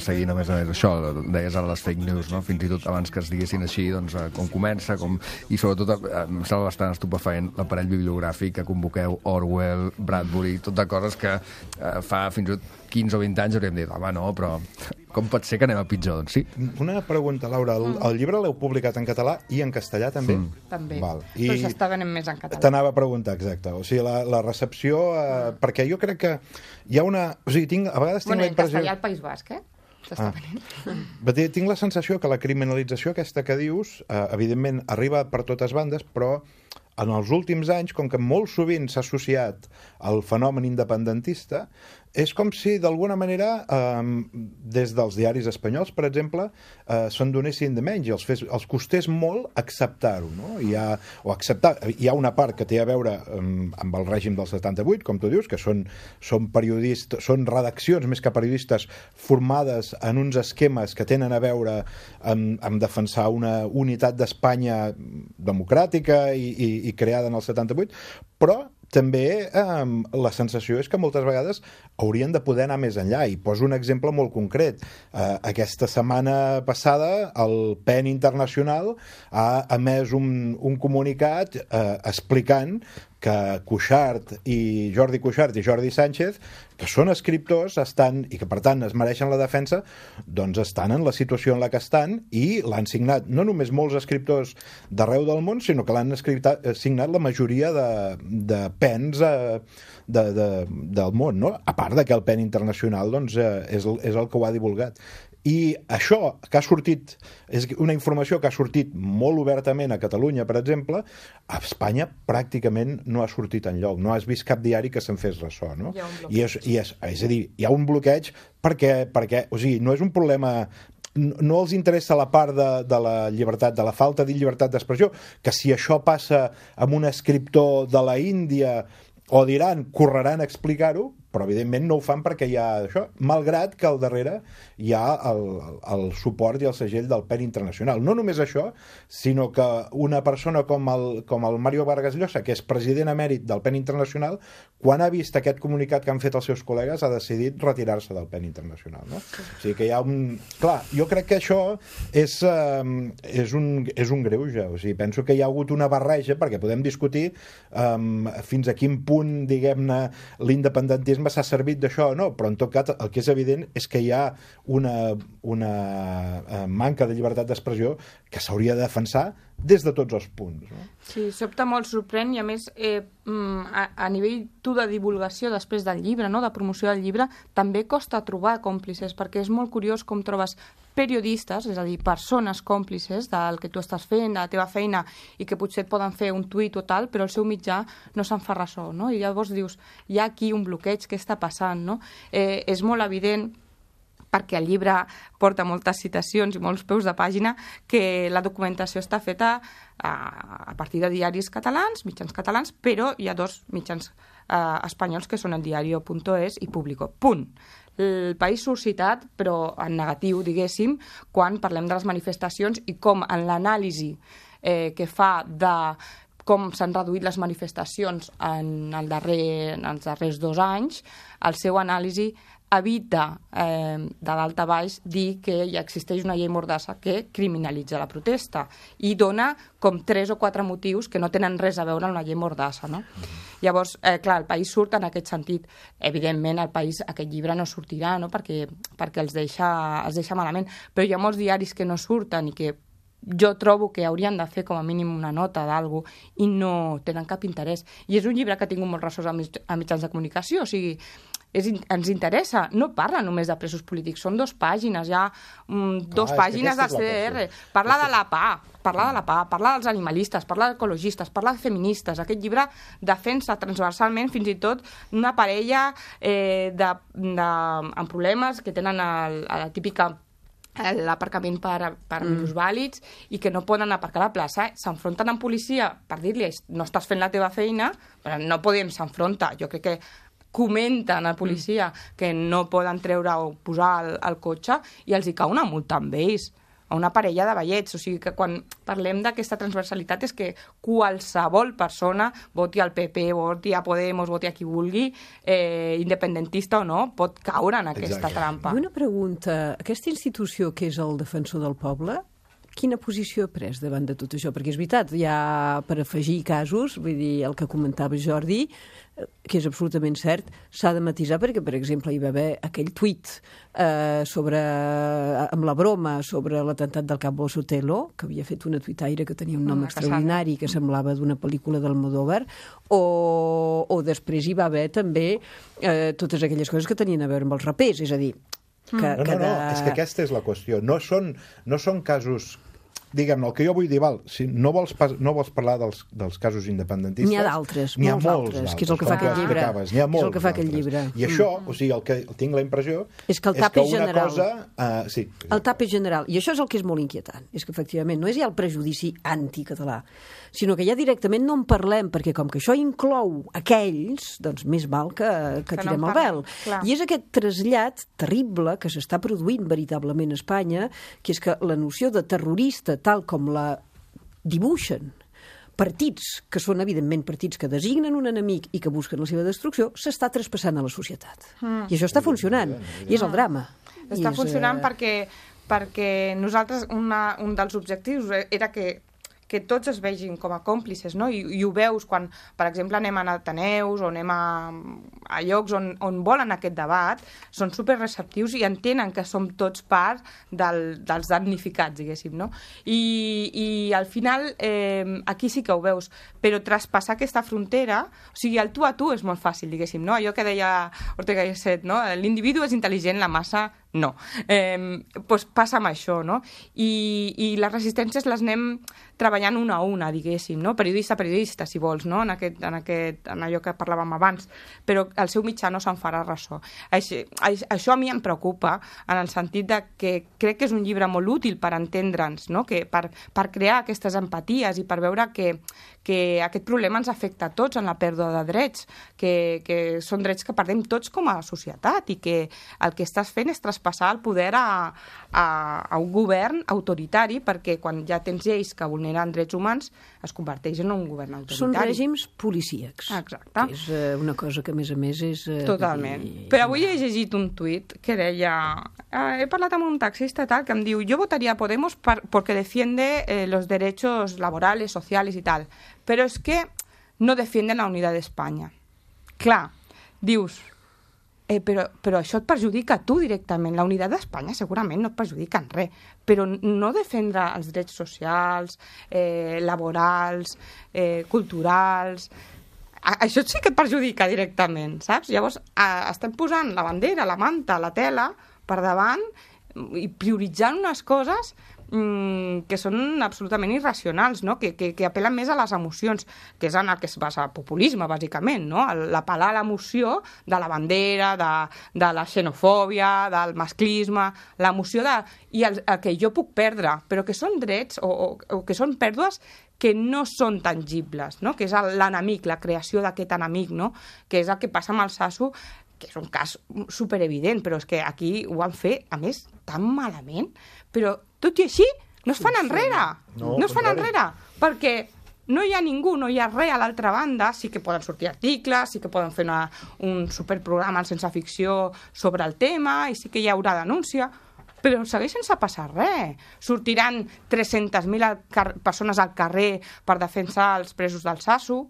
Seguint, a més això, deies ara les fake news, no? Fins i tot abans que es diguessin així, doncs, com comença, i sobretot em sembla bastant estupefaent l'aparell bibliogràfic que convoqueu, Orwell, Bradbury, tot de coses que fa fins i tot 15 o 20 anys hauríem dit, home, no, però com pot ser que anem a pitjor? Doncs sí. Una pregunta, Laura. El llibre l'heu publicat en català i en castellà, també? També, Val. però s'està venent més en català. T'anava a preguntar, exacte. O sigui, la recepció... perquè jo crec que hi ha una... O sigui, a vegades tinc la impressió... En castellà al País Basc, s'està venent. Tinc la sensació que la criminalització aquesta que dius, evidentment, arriba per totes bandes, però en els últims anys, com que molt sovint s'ha associat al fenomen independentista, és com si, d'alguna manera, des dels diaris espanyols, per exemple, se'n donessin de menys i els costés molt acceptar-ho, no? Hi ha una part que té a veure amb el règim del 78, com tu dius, que són periodistes, són redaccions més que periodistes formades en uns esquemes que tenen a veure amb defensar una unitat d'Espanya democràtica i creada en el 78, però també la sensació és que moltes vegades haurien de poder anar més enllà. I poso un exemple molt concret. Aquesta setmana passada el PEN Internacional ha emès un comunicat explicant que Jordi Cuixart i Jordi Sánchez, que són escriptors i que per tant es mereixen la defensa, doncs estan en la situació en la que estan i l'han signat no només molts escriptors d'arreu del món, sinó que l'han signat la majoria de PENs del món, no? A part de que el PEN Internacional doncs, és el que ho ha divulgat. I això que ha sortit, és una informació que ha sortit molt obertament a Catalunya, per exemple, a Espanya pràcticament no ha sortit enlloc. No has vist cap diari que se'n fes ressò, no? És a dir, hi ha un bloqueig perquè o sigui, no és un problema... No els interessa la part de la llibertat, de la falta de llibertat d'expressió, que si això passa amb un escriptor de la Índia o d'Iran, correran a explicar-ho, però evidentment no ho fan perquè hi ha això, malgrat que al darrere hi ha el suport i el segell del PEN Internacional. No només això, sinó que una persona com el Mario Vargas Llosa, que és president emèrit del PEN Internacional, quan ha vist aquest comunicat que han fet els seus col·legues, ha decidit retirar-se del PEN Internacional. No? O sigui que hi ha un... Clar, jo crec que això és un greuge. O sigui, penso que hi ha hagut una barreja, perquè podem discutir fins a quin punt, diguem-ne, l'independentisme s'ha servit d'això o no, però en tot cas el que és evident és que hi ha una manca de llibertat d'expressió que s'hauria de defensar des de tots els punts. No? Sí, sobta molt, sorprèn, i a més a nivell de divulgació després del llibre, no? De promoció del llibre, també costa trobar còmplices, perquè és molt curiós com trobes periodistes, és a dir, persones còmplices del que tu estàs fent, de la teva feina, i que potser et poden fer un tuit o tal, però el seu mitjà no se'n fa ressò, no? I llavors dius, hi ha aquí un bloqueig, què està passant, no? És molt evident, perquè el llibre porta moltes citacions i molts peus de pàgina, que la documentació està feta a partir de diaris catalans, mitjans catalans, però hi ha dos mitjans espanyols que són el diario.es i Público. Punt. El País surt citat, però en negatiu, diguéssim, quan parlem de les manifestacions i com en l'anàlisi que fa de com s'han reduït les manifestacions en els darrers 2 anys, el seu anàlisi evita de dalt a baix dir que ja existeix una llei mordassa que criminalitza la protesta i dona com 3 o 4 motius que no tenen res a veure amb la llei mordassa, no? Llavors, clar, el País surt en aquest sentit. Evidentment, el País, aquest llibre no sortirà, no? perquè els deixa malament, però hi ha molts diaris que no surten i que jo trobo que haurien de fer com a mínim una nota d'algú i no tenen cap interès. I és un llibre que ha tingut molts ressorts a mitjans de comunicació, o sigui, ens interessa, no parla només de presos polítics, són 2 pàgines, hi ha 2 pàgines del CDR, parla de la PA, parla dels animalistes, parla d'ecologistes, parla de feministes. Aquest llibre defensa transversalment fins i tot una parella amb problemes que tenen la típica l'aparcament per minusvàlids i que no poden aparcar a la plaça, s'enfronten amb policia per dir-li no estàs fent la teva feina, però no podem s'enfrontar. Jo crec que comenten a policia que no poden treure o posar el cotxe i els hi cau una multa amb ells, a una parella de vellets. O sigui que quan parlem d'aquesta transversalitat és que qualsevol persona, voti al PP, voti a Podemos, voti a qui vulgui, independentista o no, pot caure en aquesta trampa. I una pregunta, aquesta institució que és el defensor del poble, quina posició ha pres davant de tot això? Perquè és veritat, ja per afegir casos, vull dir, el que comentava Jordi, que és absolutament cert, s'ha de matisar perquè, per exemple, hi va haver aquell tuit amb la broma sobre l'atemptat del Cabo Sotelo, que havia fet una tuitaire que tenia un nom extraordinari, que semblava d'una pel·lícula d'Almodóvar, o després hi va haver també totes aquelles coses que tenien a veure amb els rapers, és a dir, No, és que aquesta és la qüestió. No són casos... Diguem-ne, el que jo vull dir, si no vols parlar dels casos independentistes... N'hi ha d'altres, n'hi ha molts d'altres, que és el que fa aquest llibre. N'hi ha molts d'altres. I això, o sigui, el que tinc la impressió és que el tap és una general. cosa... Sí. El tap és general. I això és el que és molt inquietant. És que, efectivament, no és ja el prejudici anticatalà, sinó que ja directament no en parlem, perquè com que això inclou aquells, doncs més val que tirem el vel. I és aquest trasllat terrible que s'està produint veritablement a Espanya, que és que la noció de terrorista, tal com la dibuixen partits, que són evidentment partits que designen un enemic i que busquen la seva destrucció, s'està traspassant a la societat. I això està funcionant, i és el drama. Està funcionant perquè nosaltres, un dels objectius era que tots es vegin com a còmplices, no? I ho veus quan, per exemple, anem a Ateneus o anem a llocs on volen aquest debat, són superreceptius i entenen que som tots part dels damnificats, diguéssim, no? I al final aquí sí que ho veus, però traspassar aquesta frontera, o sigui, el tu a tu és molt fàcil, diguéssim, no? Allò que deia Ortega y Gasset, no? L'individu és intel·ligent, la massa no. Doncs passa amb això, no? I les resistències les anem treballant una a una, diguéssim, no? Periodista a periodista, si vols, no? En allò que parlàvem abans, però el seu mitjà no se'n farà ressò. Això a mi em preocupa, en el sentit de que crec que és un llibre molt útil per entendre'ns, no? Que per crear aquestes empaties i per veure que que aquest problema ens afecta a tots en la pèrdua de drets, que són drets que perdem tots com a societat i que el que estàs fent és traspassar el poder a un govern autoritari, perquè quan ja tens lleis que vulneren drets humans es converteix en un govern autoritari. Són règims policíacs. Exacte. Que és una cosa que, a més és... Totalment. Però avui he llegit un tuit que deia... he parlat amb un taxista tal que em diu yo votaría a Podemos porque defiende los derechos laborales, sociales y tal, pero es que no defienden la unidad de España. Clar, dius, però això et perjudica a tu directament. La unitat d'Espanya segurament no et perjudica en res, però no defendre els drets socials, laborals, culturals... Això sí que et perjudica directament, saps? Llavors, estem posant la bandera, la manta, la tela per davant i prioritzant unes coses que són absolutament irracionals, no? Que apel·len més a les emocions, que és en el que es basa el populisme, bàsicament, no? L'apel·lar a l'emoció de la bandera, de la xenofòbia, del masclisme, l'emoció de... i el que jo puc perdre, però que són drets o que són pèrdues que no són tangibles, no? Que és l'enemic, la creació d'aquest enemic, no? Que és el que passa amb el Sasu, que és un cas superevident, però és que aquí ho van fer, a més, tan malament, però tot i així no es fan enrere. No es fan enrere, perquè no hi ha ningú, no hi ha res a l'altra banda. Sí que poden sortir articles, sí que poden fer un superprograma en sense ficció sobre el tema, i sí que hi haurà denúncia, però segueix sense passar res. Sortiran 300.000 persones al carrer per defensar els presos del Sasu.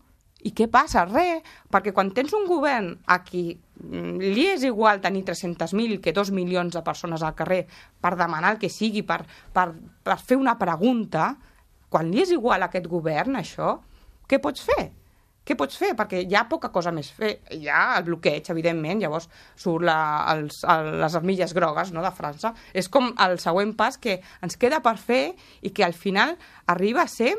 I què passa? Res. Perquè quan tens un govern a qui li és igual tenir 300.000 que 2 milions de persones al carrer per demanar el que sigui, per fer una pregunta, quan li és igual a aquest govern això, què pots fer? Què pots fer? Perquè hi ha poca cosa més fer. Hi ha el bloqueig, evidentment, llavors surt les armilles grogues, no?, de França. És com el següent pas que ens queda per fer i que al final arriba a ser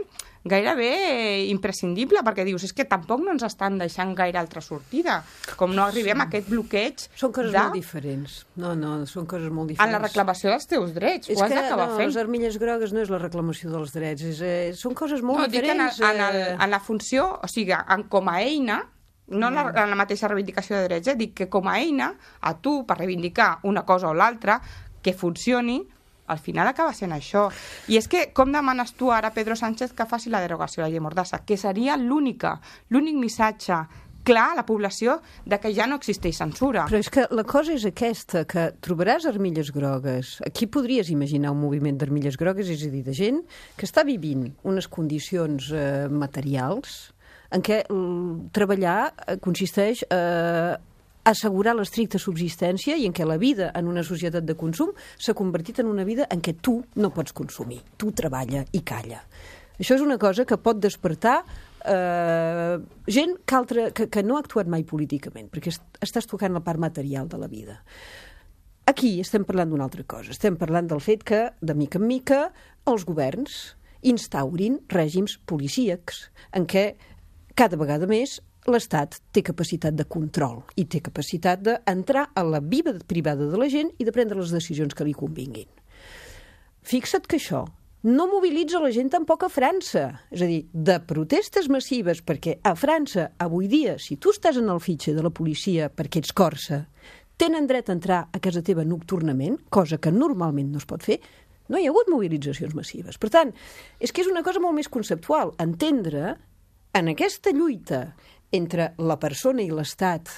gairebé imprescindible, perquè dius, és que tampoc no ens estan deixant gaire altra sortida, com no arribem a aquest bloqueig. Són coses molt diferents. No, són coses molt diferents. En la reclamació dels teus drets, ho has d'acabar fent. Les armilles grogues no és la reclamació dels drets, són coses molt diferents. No, dic en la funció, o sigui, com a eina, no en la mateixa reivindicació de drets, dic que com a eina, a tu, per reivindicar una cosa o l'altra, que funcioni, al final acaba sent això. I és que com demanes tu ara a Pedro Sánchez que faci la derogació de la llei Mordassa? Que seria l'únic missatge clar a la població de que ja no existeix censura. Però és que la cosa és aquesta, que trobaràs armilles grogues. Aquí podries imaginar un moviment d'armilles grogues, és a dir, de gent que està vivint unes condicions materials en què treballar consisteix assegurar l'estricta subsistència i en què la vida en una societat de consum s'ha convertit en una vida en què tu no pots consumir. Tu treballa i calla. Això és una cosa que pot despertar gent que no ha actuat mai políticament, perquè estàs tocant la part material de la vida. Aquí estem parlant d'una altra cosa. Estem parlant del fet que, de mica en mica, els governs instaurin règims policíacs en què cada vegada més l'Estat té capacitat de control i té capacitat d'entrar a la vida privada de la gent i de prendre les decisions que li convinguin. Fixa't que això no mobilitza la gent tampoc a França. És a dir, de protestes massives, perquè a França, avui dia, si tu estàs en el fitxa de la policia perquè ets corsa, tenen dret a entrar a casa teva nocturnament, cosa que normalment no es pot fer, no hi ha hagut mobilitzacions massives. Per tant, és que és una cosa molt més conceptual. Entendre en aquesta lluita entre la persona i l'Estat,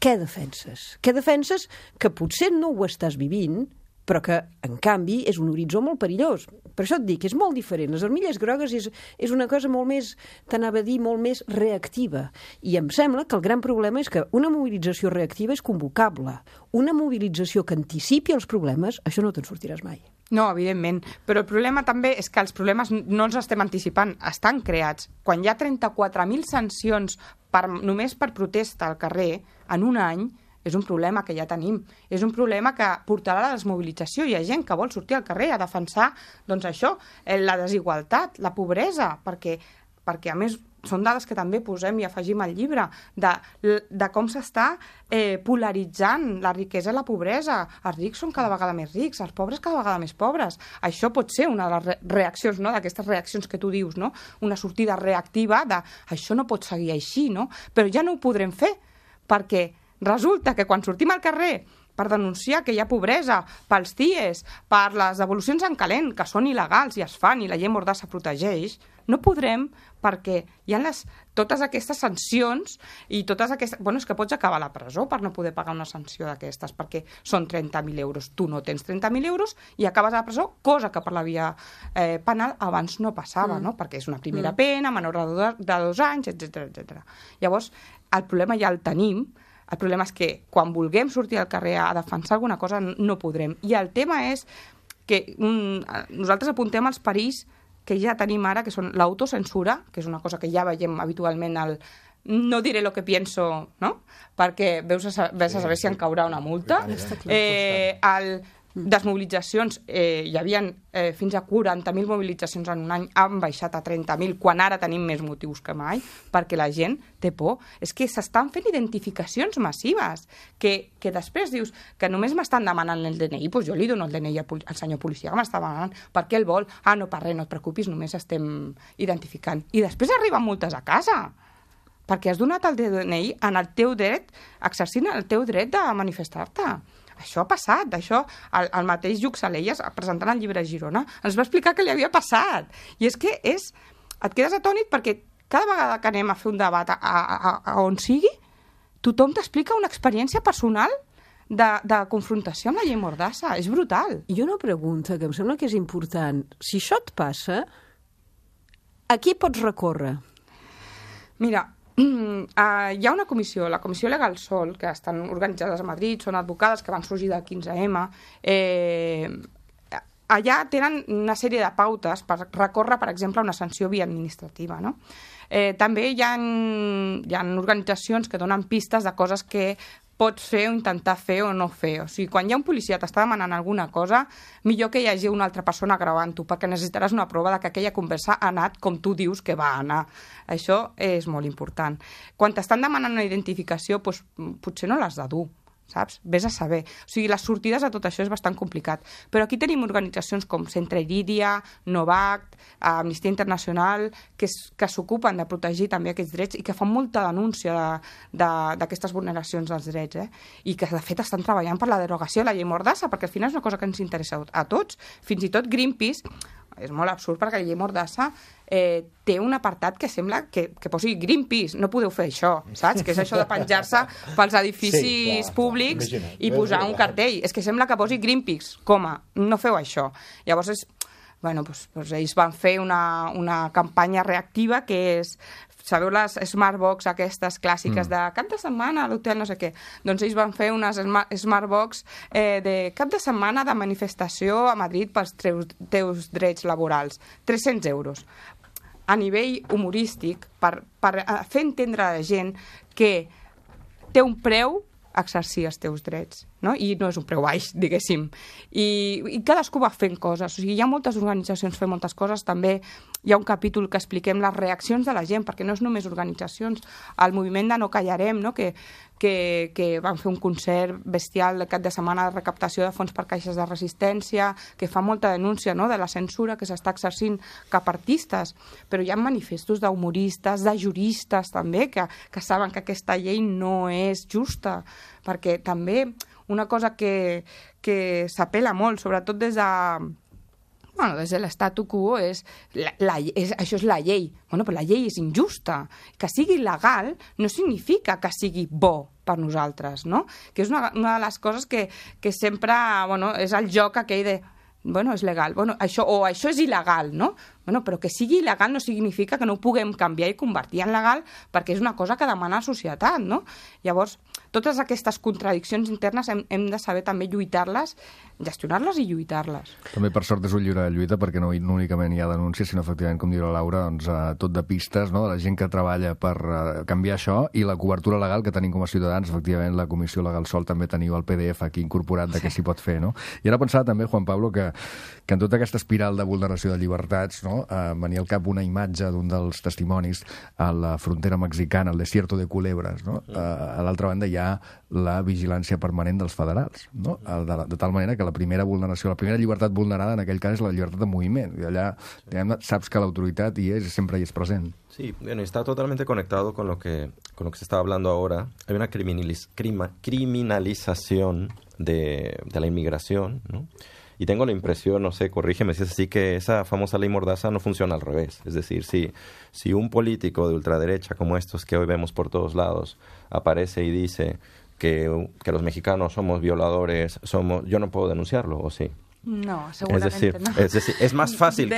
què defenses? Què defenses que potser no ho estàs vivint, però que, en canvi, és un horitzó molt perillós. Per això et dic, és molt diferent. Les armilles grogues és una cosa molt més, t'anava a dir, molt més reactiva. I em sembla que el gran problema és que una mobilització reactiva és convocable. Una mobilització que anticipi els problemes, això no te'n sortiràs mai. No, evidentment, però el problema també és que els problemes no els estem anticipant, estan creats. Quan hi ha 34.000 sancions només per protesta al carrer en un any, és un problema que ja tenim. És un problema que portarà a la desmobilització. Hi ha gent que vol sortir al carrer a defensar, doncs això, la desigualtat, la pobresa, perquè a més són dades que també posem i afegim al llibre, de com s'està polaritzant la riquesa i la pobresa. Els rics són cada vegada més rics, els pobres cada vegada més pobres. Això pot ser una de les reaccions, no?, d'aquestes reaccions que tu dius, no?, una sortida reactiva de això no pot seguir així, no? Però ja no ho podrem fer, perquè resulta que quan sortim al carrer per denunciar que hi ha pobresa, pels CIEs, per les devolucions en calent, que són il·legals i es fan i la llei Mordassa protegeix, no podrem perquè hi ha totes aquestes sancions i totes aquestes... Bueno, és que pots acabar a la presó per no poder pagar una sanció d'aquestes, perquè són 30.000 euros. Tu no tens 30.000 euros i acabes a la presó, cosa que per la via penal abans no passava, no? Perquè és una primera pena, menor de 2 anys, etc. Llavors, el problema ja el tenim. El problema és que quan vulguem sortir al carrer a defensar alguna cosa no podrem. I el tema és que nosaltres apuntem els perills que ja tenim ara, que són l'autocensura, que és una cosa que ja veiem habitualment no diré lo que pienso, no? Perquè vés a saber si en caurà una multa. Desmobilitzacions, hi havia fins a 40.000 mobilitzacions en un any, han baixat a 30.000, quan ara tenim més motius que mai, perquè la gent té por. És que s'estan fent identificacions massives, que després dius que només m'estan demanant el DNI, doncs jo li dono el DNI al senyor policia que m'està demanant, per què el vol? No, per res, no et preocupis, només estem identificant. I després arriben multes a casa, perquè has donat el DNI en el teu dret, exercint el teu dret de manifestar-te. Això ha passat, això, el mateix Lluc Salelles, presentant el llibre a Girona, ens va explicar què li havia passat. I és que et quedes atònit perquè cada vegada que anem a fer un debat a on sigui, tothom t'explica una experiència personal de confrontació amb la llei Mordassa. És brutal. I una pregunta que em sembla que és important. Si això et passa, a qui pots recórrer? Mira, hi ha una comissió, la Comissió Legal Sol, que estan organitzades a Madrid, són advocades que van sorgir del 15M. Allà tenen una sèrie de pautes per recórrer, per exemple, una sanció via administrativa, no? També hi ha organitzacions que donen pistes de coses que pots fer o intentar fer o no fer. O sigui, quan hi ha un policia t'està demanant alguna cosa, millor que hi hagi una altra persona gravant-ho, perquè necessitaràs una prova de que aquella conversa ha anat com tu dius que va anar. Això és molt important. Quan t'estan demanant una identificació, doncs, potser no l'has de dur, saps? Vés a saber. O sigui, les sortides a tot això és bastant complicat. Però aquí tenim organitzacions com Centre Iridia, Novact, Amnistia Internacional, que s'ocupen de protegir també aquests drets i que fan molta denúncia d'aquestes vulneracions dels drets, i que, de fet, estan treballant per la derogació de la llei Mordassa, perquè al final és una cosa que ens interessa a tots. Fins i tot Greenpeace, és molt absurd perquè la llei Mordassa té un apartat que sembla que posi Greenpeace, no podeu fer això, saps? Que és això de penjar-se pels edificis públics i posar un cartell. És que sembla que posi Greenpeace, no feu això. Llavors, ells van fer una campanya reactiva que és, sabeu les Smartbox aquestes clàssiques de cap de setmana a l'hotel no sé què? Doncs ells van fer unes Smartbox de cap de setmana de manifestació a Madrid pels teus drets laborals. 300 euros. A nivell humorístic, per fer entendre a la gent que té un preu exercir els teus drets, no? I no és un preu baix, diguéssim. I cadascú va fent coses. O sigui, hi ha moltes organitzacions fent moltes coses. També hi ha un capítol que expliquem les reaccions de la gent, perquè no és només organitzacions. El moviment de No Callarem, no? que van fer un concert bestial el cap de setmana de recaptació de fons per caixes de resistència, que fa molta denúncia, no?, de la censura que s'està exercint cap a artistes. Però hi ha manifestos d'humoristes, de juristes també, que saben que aquesta llei no és justa, perquè també una cosa que s'apela molt, sobretot des de l'estatu quo, això és la llei. Però la llei és injusta. Que sigui legal no significa que sigui bo per nosaltres, no? Que és una de les coses que sempre, és el joc aquell de és legal, això és il·legal, no? Però que sigui il·legal no significa que no ho puguem canviar i convertir en legal, perquè és una cosa que demana la societat, no? Llavors, totes aquestes contradiccions internes hem de saber també lluitar-les, gestionar-les i lluitar-les. També, per sort, és un llibre de lluita, perquè no únicament hi ha denúncies, sinó, efectivament, com diu la Laura, tot de pistes, no?, de la gent que treballa per canviar això, i la cobertura legal que tenim com a ciutadans. Efectivament, la Comissió Legal Sol també teniu el PDF aquí incorporat de què s'hi pot fer, no? I ara pensava també, Juan Pablo, que en tota aquesta espiral de vulneració de llibertats, no?, no? Venia al cap una imatge d'un dels testimonis a la frontera mexicana, el desierto de Culebras, no? A l'altra banda hi ha la vigilància permanent dels federals, no? De tal manera que la primera vulneració, la primera llibertat vulnerada en aquell cas és la llibertat de moviment. I allà saps que l'autoritat hi és i sempre hi és present. Sí, bueno, está totalmente conectado con lo que se está hablando ahora. Hay una criminalización de la inmigración, ¿no? Y tengo la impresión, no sé, corrígeme si es así, que esa famosa ley Mordaza no funciona al revés. Es decir, si un político de ultraderecha como estos que hoy vemos por todos lados aparece y dice que los mexicanos somos violadores, yo no puedo denunciarlo, ¿o sí? No, seguramente no. Es decir, es más fácil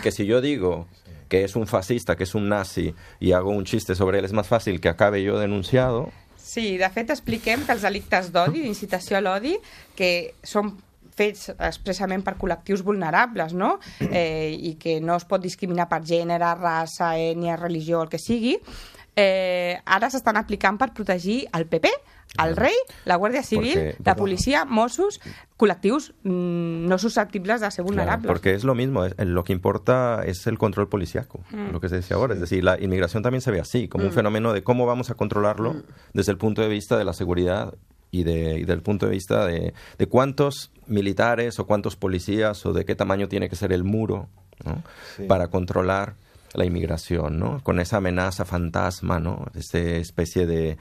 que si yo digo que es un fascista, que és un nazi, i hago un xiste sobre ell, és més fàcil que acabe jo denunciado. Sí, de fet expliquem que els delictes d'odi, d'incitació a l'odi, que són fets expressament per col·lectius vulnerables, no? I que no es pot discriminar per gènere, raça, ètnia, religió, el que sigui, ara s'estan aplicant per protegir el PP, el rei, la Guàrdia Civil, la policia, Mossos, col·lectius no susceptibles de ser vulnerables. Claro, porque es lo mismo, lo que importa es el control policíaco, lo que se decía ahora. Es decir, la inmigración también se ve así, como un fenómeno de cómo vamos a controlarlo desde el punto de vista de la seguridad y del punto de vista de cuántos militares o cuántos policías o de qué tamaño tiene que ser el muro, ¿no? Sí. Para controlar la inmigración, ¿no? Con esa amenaza fantasma, ¿no? Esa especie de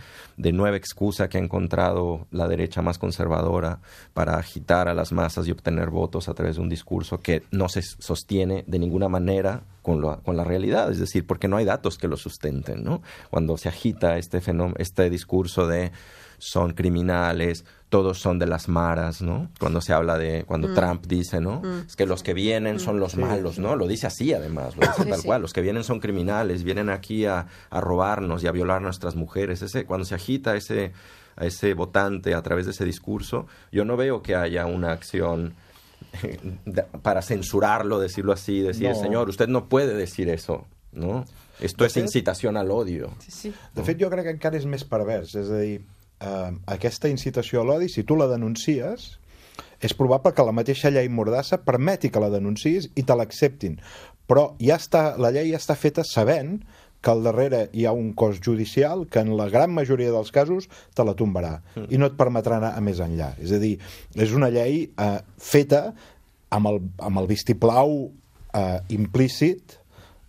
nueva excusa que ha encontrado la derecha más conservadora para agitar a las masas y obtener votos a través de un discurso que no se sostiene de ninguna manera con la realidad, es decir, porque no hay datos que lo sustenten, ¿no? Cuando se agita este discurso de son criminales, todos son de las maras, ¿no? Cuando se habla cuando Trump dice, ¿no? Es que los que vienen son los malos, ¿no? Lo dice así, además, lo dice tal cual. Los que vienen son criminales, vienen aquí a robarnos y a violar a nuestras mujeres. Cuando se agita a ese votante a través de ese discurso, yo no veo que haya una acción para censurarlo, decirlo así, decir, no. Señor, usted no puede decir eso, ¿no? Esto és incitació a l'odio. Sí. De fet, jo crec que encara és més pervers, és a dir, aquesta incitació a l'odi, si tu la denuncies, és probable que la mateixa llei Mordassa permeti que la denuncis i te l'acceptin. Però la llei ja està feta sabent que al darrere hi ha un cos judicial que en la gran majoria dels casos te la tombarà i no et permetrà anar a més enllà. És a dir, és una llei feta amb el vistiplau implícit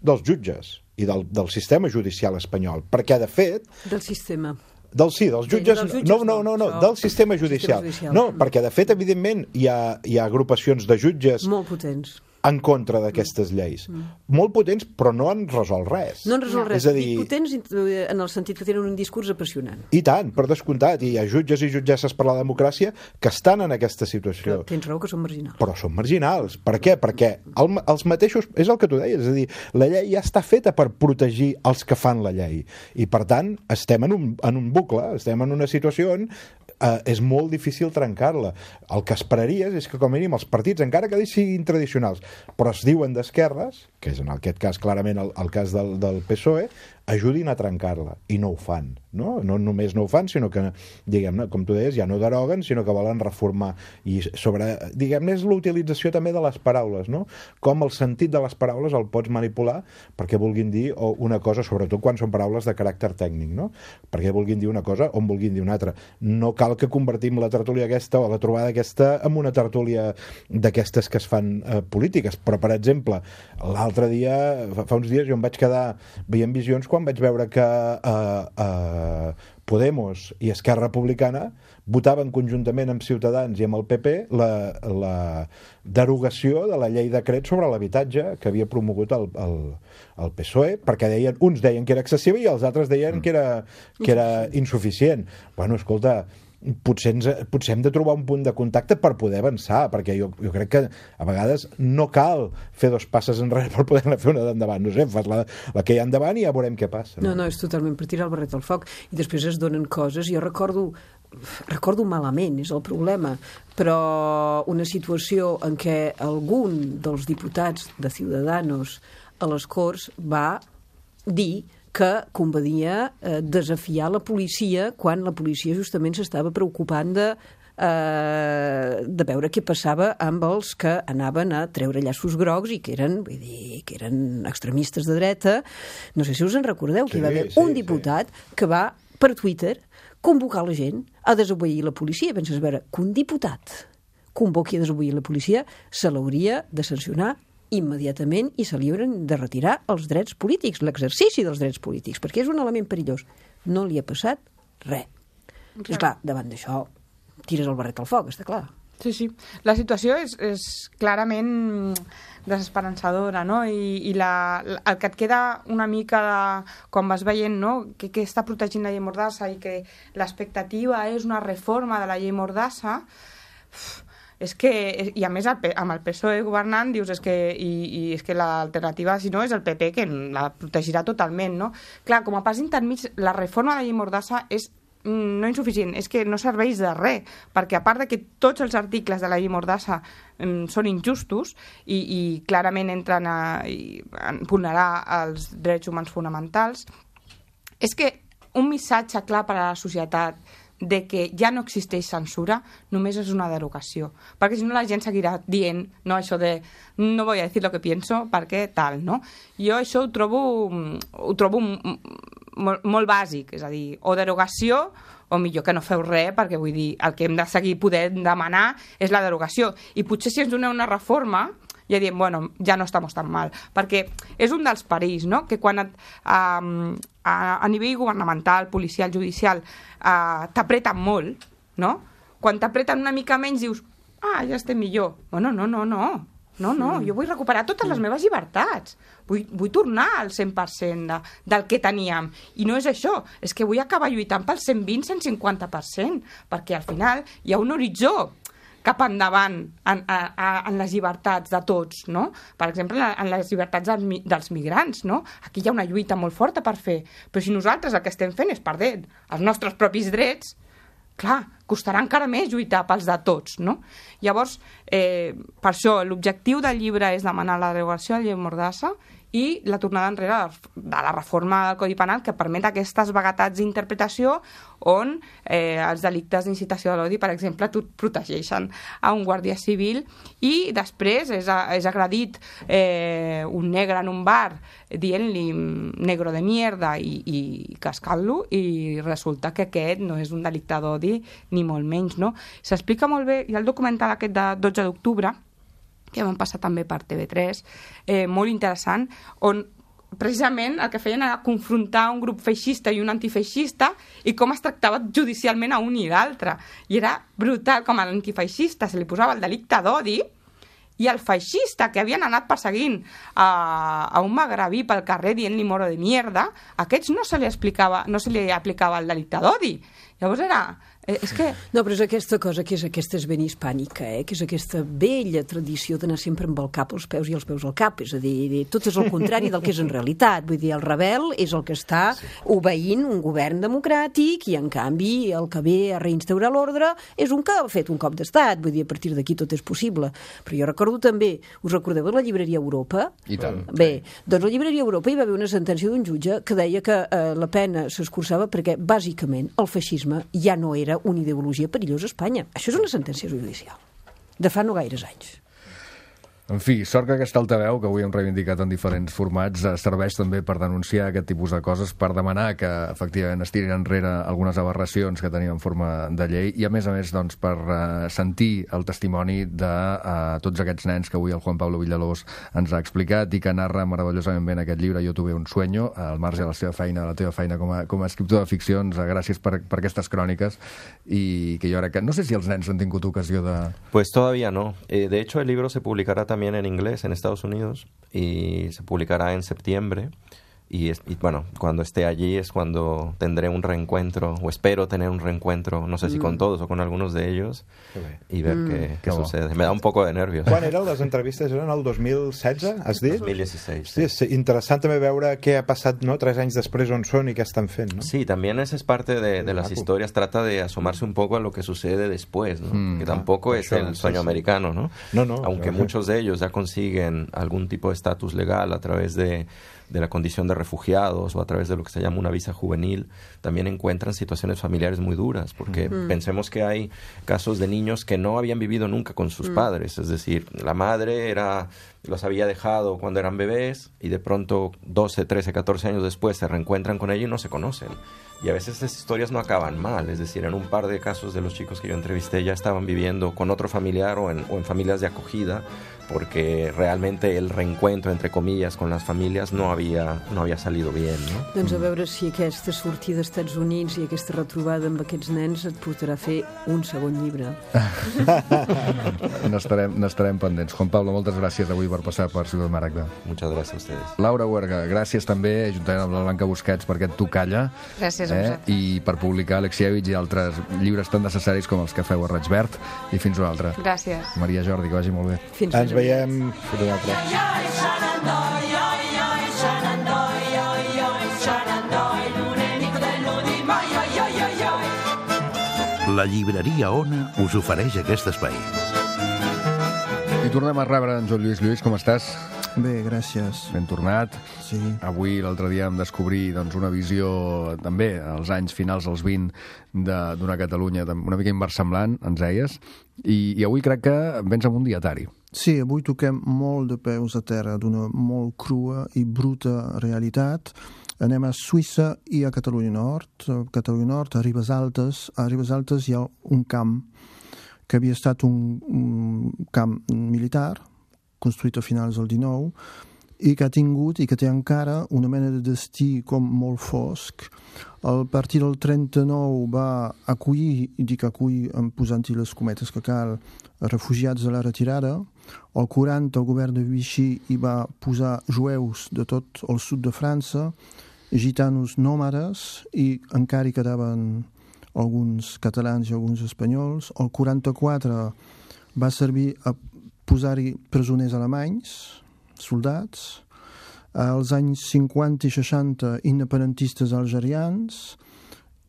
dels jutges i del sistema judicial espanyol, perquè de fet... Del sistema. Dels jutges, del sistema judicial. No, perquè de fet, evidentment, hi ha agrupacions de jutges... Molt potents. En contra d'aquestes lleis. Molt potents, però no han resolt res. No han resolt res. Dic potents en el sentit que tenen un discurs apassionant. I tant, per descomptat. I hi ha jutges i jutgesses per la democràcia que estan en aquesta situació. Però tens raó que són marginals. Però són marginals. Per què? Perquè els mateixos... És el que tu deies. És a dir, la llei ja està feta per protegir els que fan la llei. I, per tant, estem en un bucle, estem en una situació on és molt difícil trencar-la. El que esperaries és que, com a mínim, els partits, encara que siguin tradicionals, però es diuen d'esquerres, que és en aquest cas clarament el cas del PSOE, ajudin a trencar-la, i no ho fan, no? No només no ho fan, sinó que, diguem-ne, com tu deies, ja no deroguen, sinó que volen reformar. I sobre, diguem-ne, és l'utilització també de les paraules, no? Com el sentit de les paraules el pots manipular perquè vulguin dir una cosa, sobretot quan són paraules de caràcter tècnic, no? Perquè vulguin dir una cosa o en vulguin dir una altra. No cal que convertim la tertúlia aquesta o la trobada aquesta en una tertúlia d'aquestes que es fan polítiques, però, per exemple, l'altre dia, fa uns dies, jo em vaig quedar veient Visions quan vaig veure que Podemos i Esquerra Republicana votaven conjuntament amb Ciutadans i amb el PP la derogació de la llei decret sobre l'habitatge que havia promogut el PSOE, perquè uns deien que era excessiva i els altres deien que era insuficient. Bueno, escolta, potser hem de trobar un punt de contacte per poder avançar, perquè jo crec que a vegades no cal fer dos passes enrere per poder-ne fer una d'endavant. No sé, fas la que hi ha endavant i ja veurem què passa. No, és totalment per tirar el barret al foc. I després es donen coses. Jo recordo malament, és el problema, però una situació en què algun dels diputats de Ciudadanos a les Corts va dir que convenia desafiar la policia quan la policia justament s'estava preocupant de de veure què passava amb els que anaven a treure llaços grocs i que eren, vull dir, que eren extremistes de dreta. No sé si us en recordeu, que hi va haver un diputat que va per Twitter convocar la gent a desobeir la policia. Penses, a veure, que un diputat convoqui a desobeir la policia se l'hauria de sancionar immediatament i se li haurien de retirar els drets polítics, l'exercici dels drets polítics, perquè és un element perillós. No li ha passat res. És clar, davant d'això tires el barret al foc, està clar. Sí. La situació és clarament desesperançadora, no? I el que et queda una mica quan vas veient, no?, que està protegint la llei Mordassa i que l'expectativa és una reforma de la llei Mordassa, és que, i a més amb el PSOE governant dius és que l'alternativa si no és el PP que la protegirà totalment, no? Clar, com a pas intermig la reforma de la llei Mordassa és no insuficient, és que no serveix de res, perquè a part de que tots els articles de la llei Mordassa són injustos i clarament entren a vulnerar els drets humans fonamentals, és que un missatge clar per a la societat de que ja no existeix censura només és una derogació, perquè si no la gent seguirà dient, no, això de no voy a decir lo que pienso perquè tal, no? Jo això ho trobo molt bàsic, és a dir, o derogació o millor que no feu res, perquè vull dir, el que hem de seguir podent demanar és la derogació, i potser si ens doneu una reforma ja diem, bueno, ja no estem tan mal, perquè és un dels perills, no?, que quan a nivell governamental, policial, judicial, t'apreten molt, no? Quan t'apreten una mica menys dius, ja estem millor. Bueno, no, jo vull recuperar totes les meves llibertats, vull tornar al 100% del que teníem, i no és això, és que vull acabar lluitant pel 120-150%, perquè al final hi ha un horitzó cap endavant en les llibertats de tots, no? Per exemple, en les llibertats dels migrants, no? Aquí hi ha una lluita molt forta per fer, però si nosaltres el que estem fent és perdent els nostres propis drets, clar, costarà encara més lluitar pels de tots, no? Llavors, per això, l'objectiu del llibre és demanar la derogació de la llei Mordassa i la tornada enrere de la reforma del Codi Penal que permet aquestes vaguetats d'interpretació on els delictes d'incitació de l'odi, per exemple, protegeixen a un guàrdia civil i després és agredit un negre en un bar dient-li negro de mierda i cascant-lo, i resulta que aquest no és un delicte d'odi ni molt menys, no? S'explica molt bé, hi ha el documental aquest de 12 d'octubre que vam passar també per TV3, molt interessant, on precisament el que feien era confrontar un grup feixista i un antifeixista i com es tractava judicialment a un i l'altre. I era brutal, com a l'antifeixista se li posava el delicte d'odi i el feixista que havien anat perseguint a un magrebí pel carrer dient-li moro de mierda, a aquests no se li aplicava el delicte d'odi. Llavors era... És que... No, però és aquesta cosa que és aquesta ben hispànica, que és aquesta vella tradició d'anar sempre amb el cap als peus i els peus al cap, és a dir, tot és el contrari del que és en realitat. Vull dir, el rebel és el que està obeint un govern democràtic i, en canvi, el que ve a reinstaurar l'ordre és un que ha fet un cop d'estat. Vull dir, a partir d'aquí tot és possible. Però jo recordo també, us recordeu de la llibreria Europa? I tant. Bé, doncs a la llibreria Europa hi va haver una sentència d'un jutge que deia que la pena s'escurçava perquè, bàsicament, el feixisme ja no era una ideologia perillosa a Espanya. Això és una sentència judicial de fa no gaires anys. En fi, sort que aquesta altaveu, que avui hem reivindicat en diferents formats, serveix també per denunciar aquest tipus de coses, per demanar que, efectivament, es tirin enrere algunes aberracions que tenien en forma de llei i, a més, doncs, per sentir el testimoni de tots aquests nens que avui el Juan Pablo Villalobos ens ha explicat i que narra meravellosament bé en aquest llibre Jo tuve un sueño, al marge de la seva feina, la teva feina com a escriptor de ficcions. Gràcies per aquestes cròniques i que jo crec que... No sé si els nens han tingut ocasió de... Pues todavía no. De hecho, el libro se publicará también en inglés en Estados Unidos y se publicará en septiembre y bueno, cuando esté allí es cuando tendré un reencuentro, o espero tener un reencuentro, no sé si con todos o con algunos de ellos, y ver qué sucede. Me da un poco de nervios. Quan eren les entrevistes? Eren el 2016, has dit? 2016. Sí, és interessant també veure què ha passat, ¿no?, 3 anys després, on són i què estan fent, ¿no? Sí, también esa es parte de las historias, trata de asomarse un poco a lo que sucede después, ¿no? Que tampoco es el sueño americano, ¿no? No, aunque muchos de ellos ya consiguen algún tipo de estatus legal a través de de la condición de refugiados o a través de lo que se llama una visa juvenil, también encuentran situaciones familiares muy duras, porque pensemos que hay casos de niños que no habían vivido nunca con sus padres, es decir, la madre los había dejado cuando eran bebés y de pronto 12, 13, 14 años después se reencuentran con ella y no se conocen. Y a veces esas historias no acaban mal, es decir, en un par de casos de los chicos que yo entrevisté ya estaban viviendo con otro familiar o en familias de acogida, porque realmente el reencuentro, entre comillas, con las familias no había salido bien, no? Doncs a veure si aquesta sortida als Estats Units i aquesta retrobada amb aquests nens et portarà a fer un segon llibre. N'estarem pendents. Juan Pablo, moltes gràcies avui per passar per Ciutat Maragda. Muchas gracias a ustedes. Laura Huerga, gràcies també, juntament amb la Blanca Busquets, per aquest Tu calla. Gràcies a vosaltres. I per publicar Alexievich i altres llibres tan necessaris com els que feu a Raig Verd. I fins una altra. Gràcies. Maria Jordi, que vagi molt bé. Ens veiem fins una altra. La llibreria Ona us ofereix aquest espai. I tornem a rebre en Joan Lluís. Lluís, com estàs? Bé, gràcies. Ben tornat. Sí. Avui, l'altre dia, vam descobrir una visió, també, als anys finals, als 20, d'una Catalunya una mica inversemblant, ens deies, i avui crec que vens amb un dietari. Sí, avui toquem molt de peus a terra d'una molt crua i bruta realitat. Anem a Suïssa i a Catalunya Nord. A Catalunya Nord, a Ribes Altes. A Ribes Altes hi ha un camp que havia estat un camp militar, construït a finals del XIX, i que ha tingut i que té encara una mena de destí com molt fosc. A partir del 39 va acollir, i dic acollir posant-hi les cometes que cal, refugiats de la retirada. Al 40 el govern de Vichy hi va posar jueus de tot el sud de França, gitanos nòmades, i encara hi quedaven alguns catalans i alguns espanyols. El 44 va servir a posar-hi presoners alemanys, soldats. Als anys 50 i 60 independentistes algerians,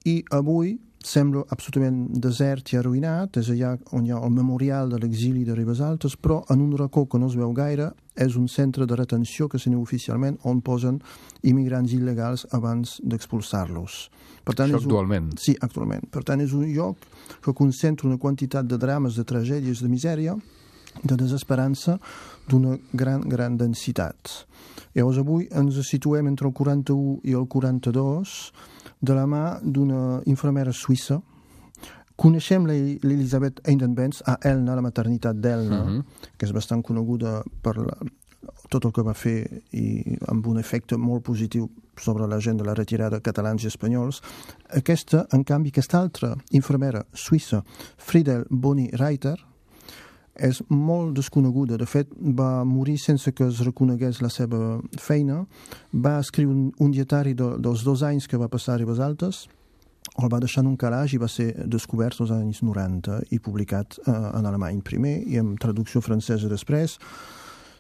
i avui sembla absolutament desert i arruïnat. És allà on hi ha el memorial de l'exili de Ribes Altes, però en un racó que no es veu gaire és un centre de retenció que se diu oficialment, on posen immigrants il·legals abans d'expulsar-los. Això actualment? Sí, actualment. Per tant, és un lloc que concentra una quantitat de drames, de tragèdies, de misèria, de desesperança, d'una gran densitat. Llavors avui ens situem entre el 41 i el 42 de la mà d'una infermera suïssa. Coneixem l'Elisabeth Eidenbenz a Elna, la maternitat d'Elna, que és bastant coneguda per tot el que va fer i amb un efecte molt positiu sobre la gent de la retirada, catalans i espanyols. Aquesta, en canvi, aquesta altra infermera suïssa, Friedel Boni-Reiter, és molt desconeguda. De fet, va morir sense que es reconegués la seva feina. Va escriure un dietari dels 2 anys que va passar a Ribes Altes, el va deixar en un calaix i va ser descobert als anys 90 i publicat en alemany primer i en traducció francesa després.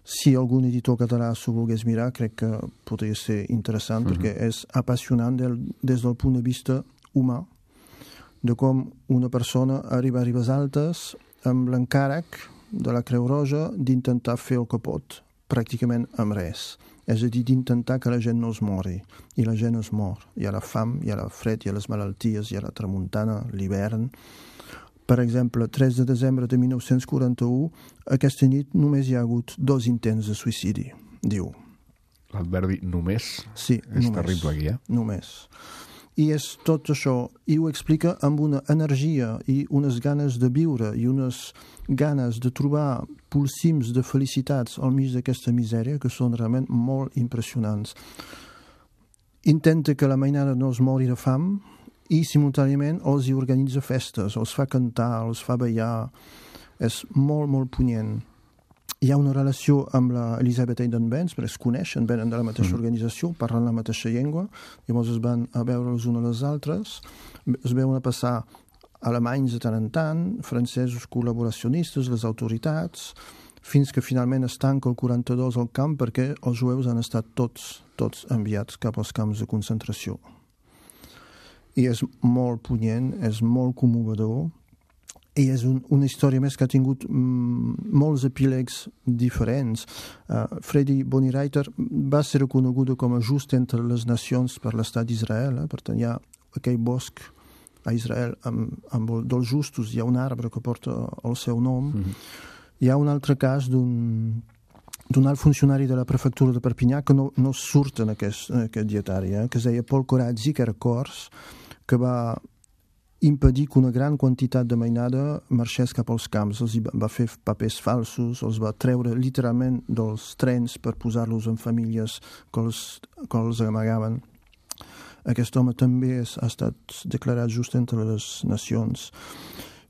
Si algun editor català s'ho volgués mirar, crec que podria ser interessant, perquè és apassionant des del punt de vista humà, de com una persona arriba a Ribes Altes amb l'encàrrec de la Creu Roja d'intentar fer el que pot, pràcticament amb res. És a dir, d'intentar que la gent no es mori. I la gent es mor. Hi ha la fam, hi ha el fred, hi ha les malalties, hi ha la tramuntana, l'hivern. Per exemple, 3 de desembre de 1941, aquesta nit només hi ha hagut 2 intents de suïcidi, diu. L'adverbi només? Sí, és terrible aquí, Només. I és tot això, i ho explica amb una energia i unes ganes de viure i unes ganes de trobar polsims de felicitats al mig d'aquesta misèria que són realment molt impressionants. Intenta que la mainada no es mori de fam i simultàniament els hi organitza festes, els fa cantar, els fa ballar. És molt, molt punyent. Hi ha una relació amb l'Elisabeth Eidenbenz, perquè es coneixen, venen de la mateixa organització, parlen la mateixa llengua, llavors es van a veure els uns a les altres, es veuen a passar alemanys de tant en tant, francesos col·laboracionistes, les autoritats, fins que finalment es tanca el 42 al camp perquè els jueus han estat tots enviats cap als camps de concentració. I és molt punyent, és molt commovedor, i és una història més que ha tingut molts epílegs diferents. Freddy Bonnie-Reiter va ser reconeguda com a just entre les nacions per l'estat d'Israel. Per tant, hi ha aquell bosc a Israel dels justos, hi ha un arbre que porta el seu nom. Hi ha un altre cas d'un alt funcionari de la prefectura de Perpinyà que no surt en aquest dietari, que es deia Paul Corazzi, que era cors, que va impedir que una gran quantitat de mainada marxés cap als camps. Els va fer papers falsos, els va treure literalment dels trens per posar-los en famílies que els amagaven. Aquest home també ha estat declarat just entre les nacions.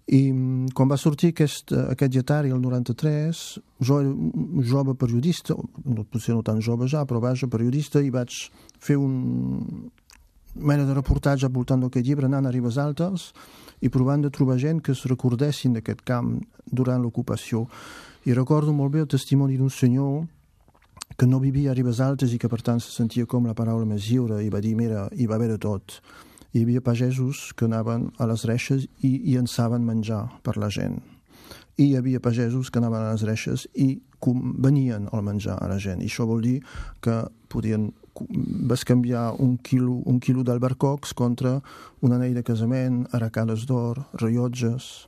I quan va sortir aquest dietari el 93, jo era un jove periodista, potser no tan jove ja, però vaja, periodista, i vaig fer un mena de reportatge al voltant d'aquest llibre, anant a Ribes Altes i provant de trobar gent que es recordessin d'aquest camp durant l'ocupació. I recordo molt bé el testimoni d'un senyor que no vivia a Ribes Altes i que per tant se sentia com la paraula més lliure, i va dir, mira, hi va haver de tot. Hi havia pagesos que anaven a les reixes i llançaven menjar per la gent. I hi havia pagesos que anaven a les reixes i venien el menjar a la gent. I això vol dir que vas canviar un quilo d'albercocs contra un anell de casament, arracades d'or, rellotges.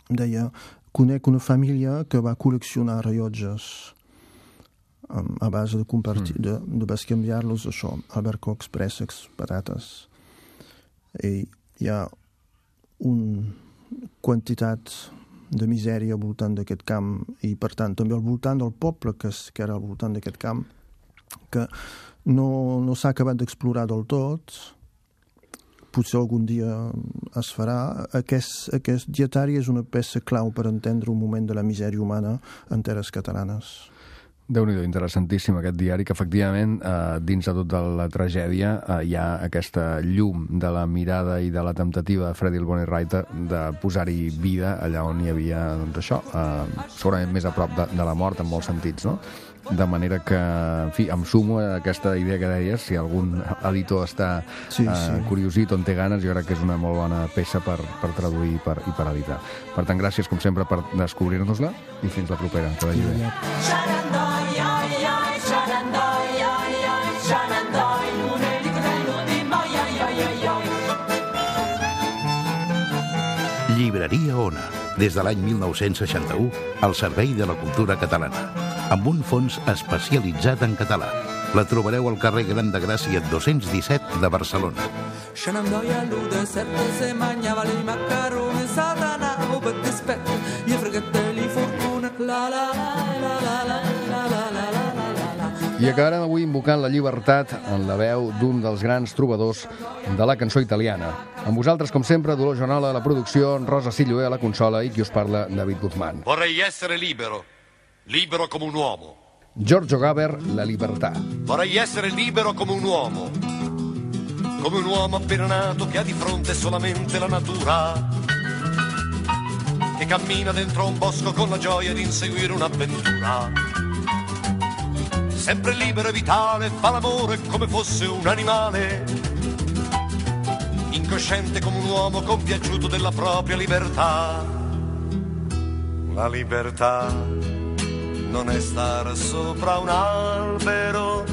Deia, conec una família que va col·leccionar rellotges a base de compartir, de bescanviar-los, això, albercocs, préssecs, patates. I hi ha una quantitat de misèria al voltant d'aquest camp i, per tant, també al voltant del poble que era al voltant d'aquest camp, que no s'ha acabat d'explorar del tot. Potser algun dia es farà. Aquest dietari és una peça clau per entendre un moment de la misèria humana en terres catalanes. Déu-n'hi-do, interessantíssim aquest diari, que efectivament dins de tota la tragèdia hi ha aquesta llum de la mirada i de la temptativa de Freddy Bonnie-Reiter de posar-hi vida allà on hi havia, doncs això, segurament més a prop de la mort en molts sentits, no? De manera que, en fi, em sumo a aquesta idea que deies, si algun editor està curiosit on té ganes, jo crec que és una molt bona peça per traduir i per editar. Per tant, gràcies, com sempre, per descobrir-nos-la i fins la propera. Que vagi bé. Llibreria Ona, des de l'any 1961, al servei de la cultura catalana, amb un fons especialitzat en català. La trobareu al carrer Gran de Gràcia 217 de Barcelona. I acabarem avui invocant la llibertat en la veu d'un dels grans trobadors de la cançó italiana. Amb vosaltres, com sempre, Dolors Joanola a la producció, Rosa Silloé a la consola i qui us parla, David Guzmán. Vorrei essere libero, libero come un uomo. Giorgio Gaber, La libertà. Vorrei essere libero come un uomo appena nato che ha di fronte solamente la natura, che cammina dentro un bosco con la gioia di inseguire un'avventura. Sempre libero e vitale, fa l'amore come fosse un animale, incosciente come un uomo compiaciuto della propria libertà. La libertà non è stare sopra un albero,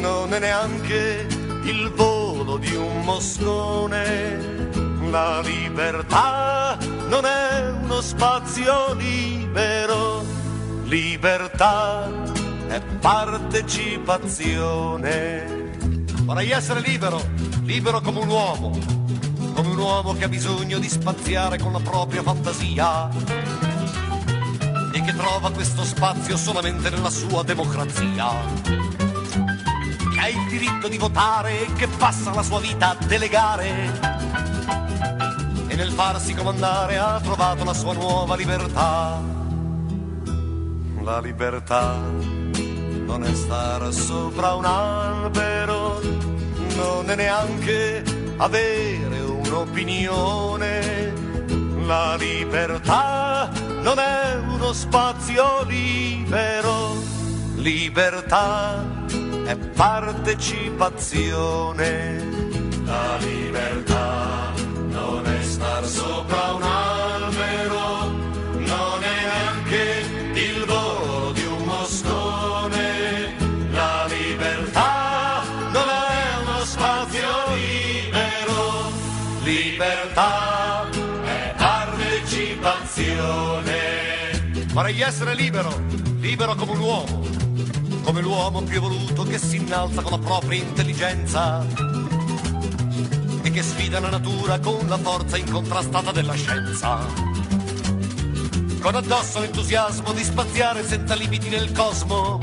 non è neanche il volo di un moscone. La libertà non è uno spazio libero, libertà è partecipazione. Vorrei essere libero, libero come un uomo che ha bisogno di spaziare con la propria fantasia e che trova questo spazio solamente nella sua democrazia, che ha il diritto di votare e che passa la sua vita a delegare e nel farsi comandare ha trovato la sua nuova libertà. La libertà non è stare sopra un albero, non è neanche avere un'opinione. La libertà non è uno spazio libero, libertà è partecipazione. La libertà non è star sopra un albero, Libertà è partecipazione. Vorrei essere libero, libero come un uomo, come l'uomo più evoluto che si innalza con la propria intelligenza e che sfida la natura con la forza incontrastata della scienza. Con addosso l'entusiasmo di spaziare senza limiti nel cosmo,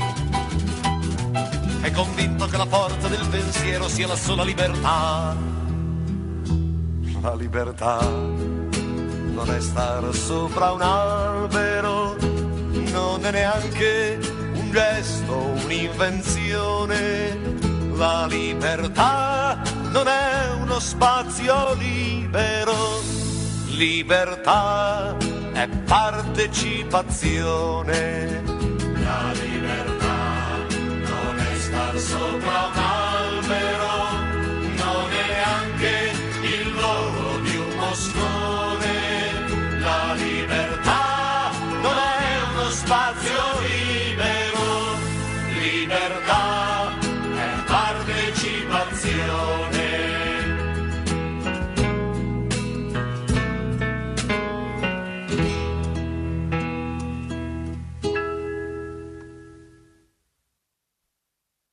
è convinto che la forza del pensiero sia la sola libertà. La libertà non è stare sopra un albero, non è neanche un gesto, un'invenzione. La libertà non è uno spazio libero, libertà è partecipazione. La libertà non è star sopra un albero, non è neanche il volo di un moscone. La libertà non è uno spazio libero, libertà è partecipazione.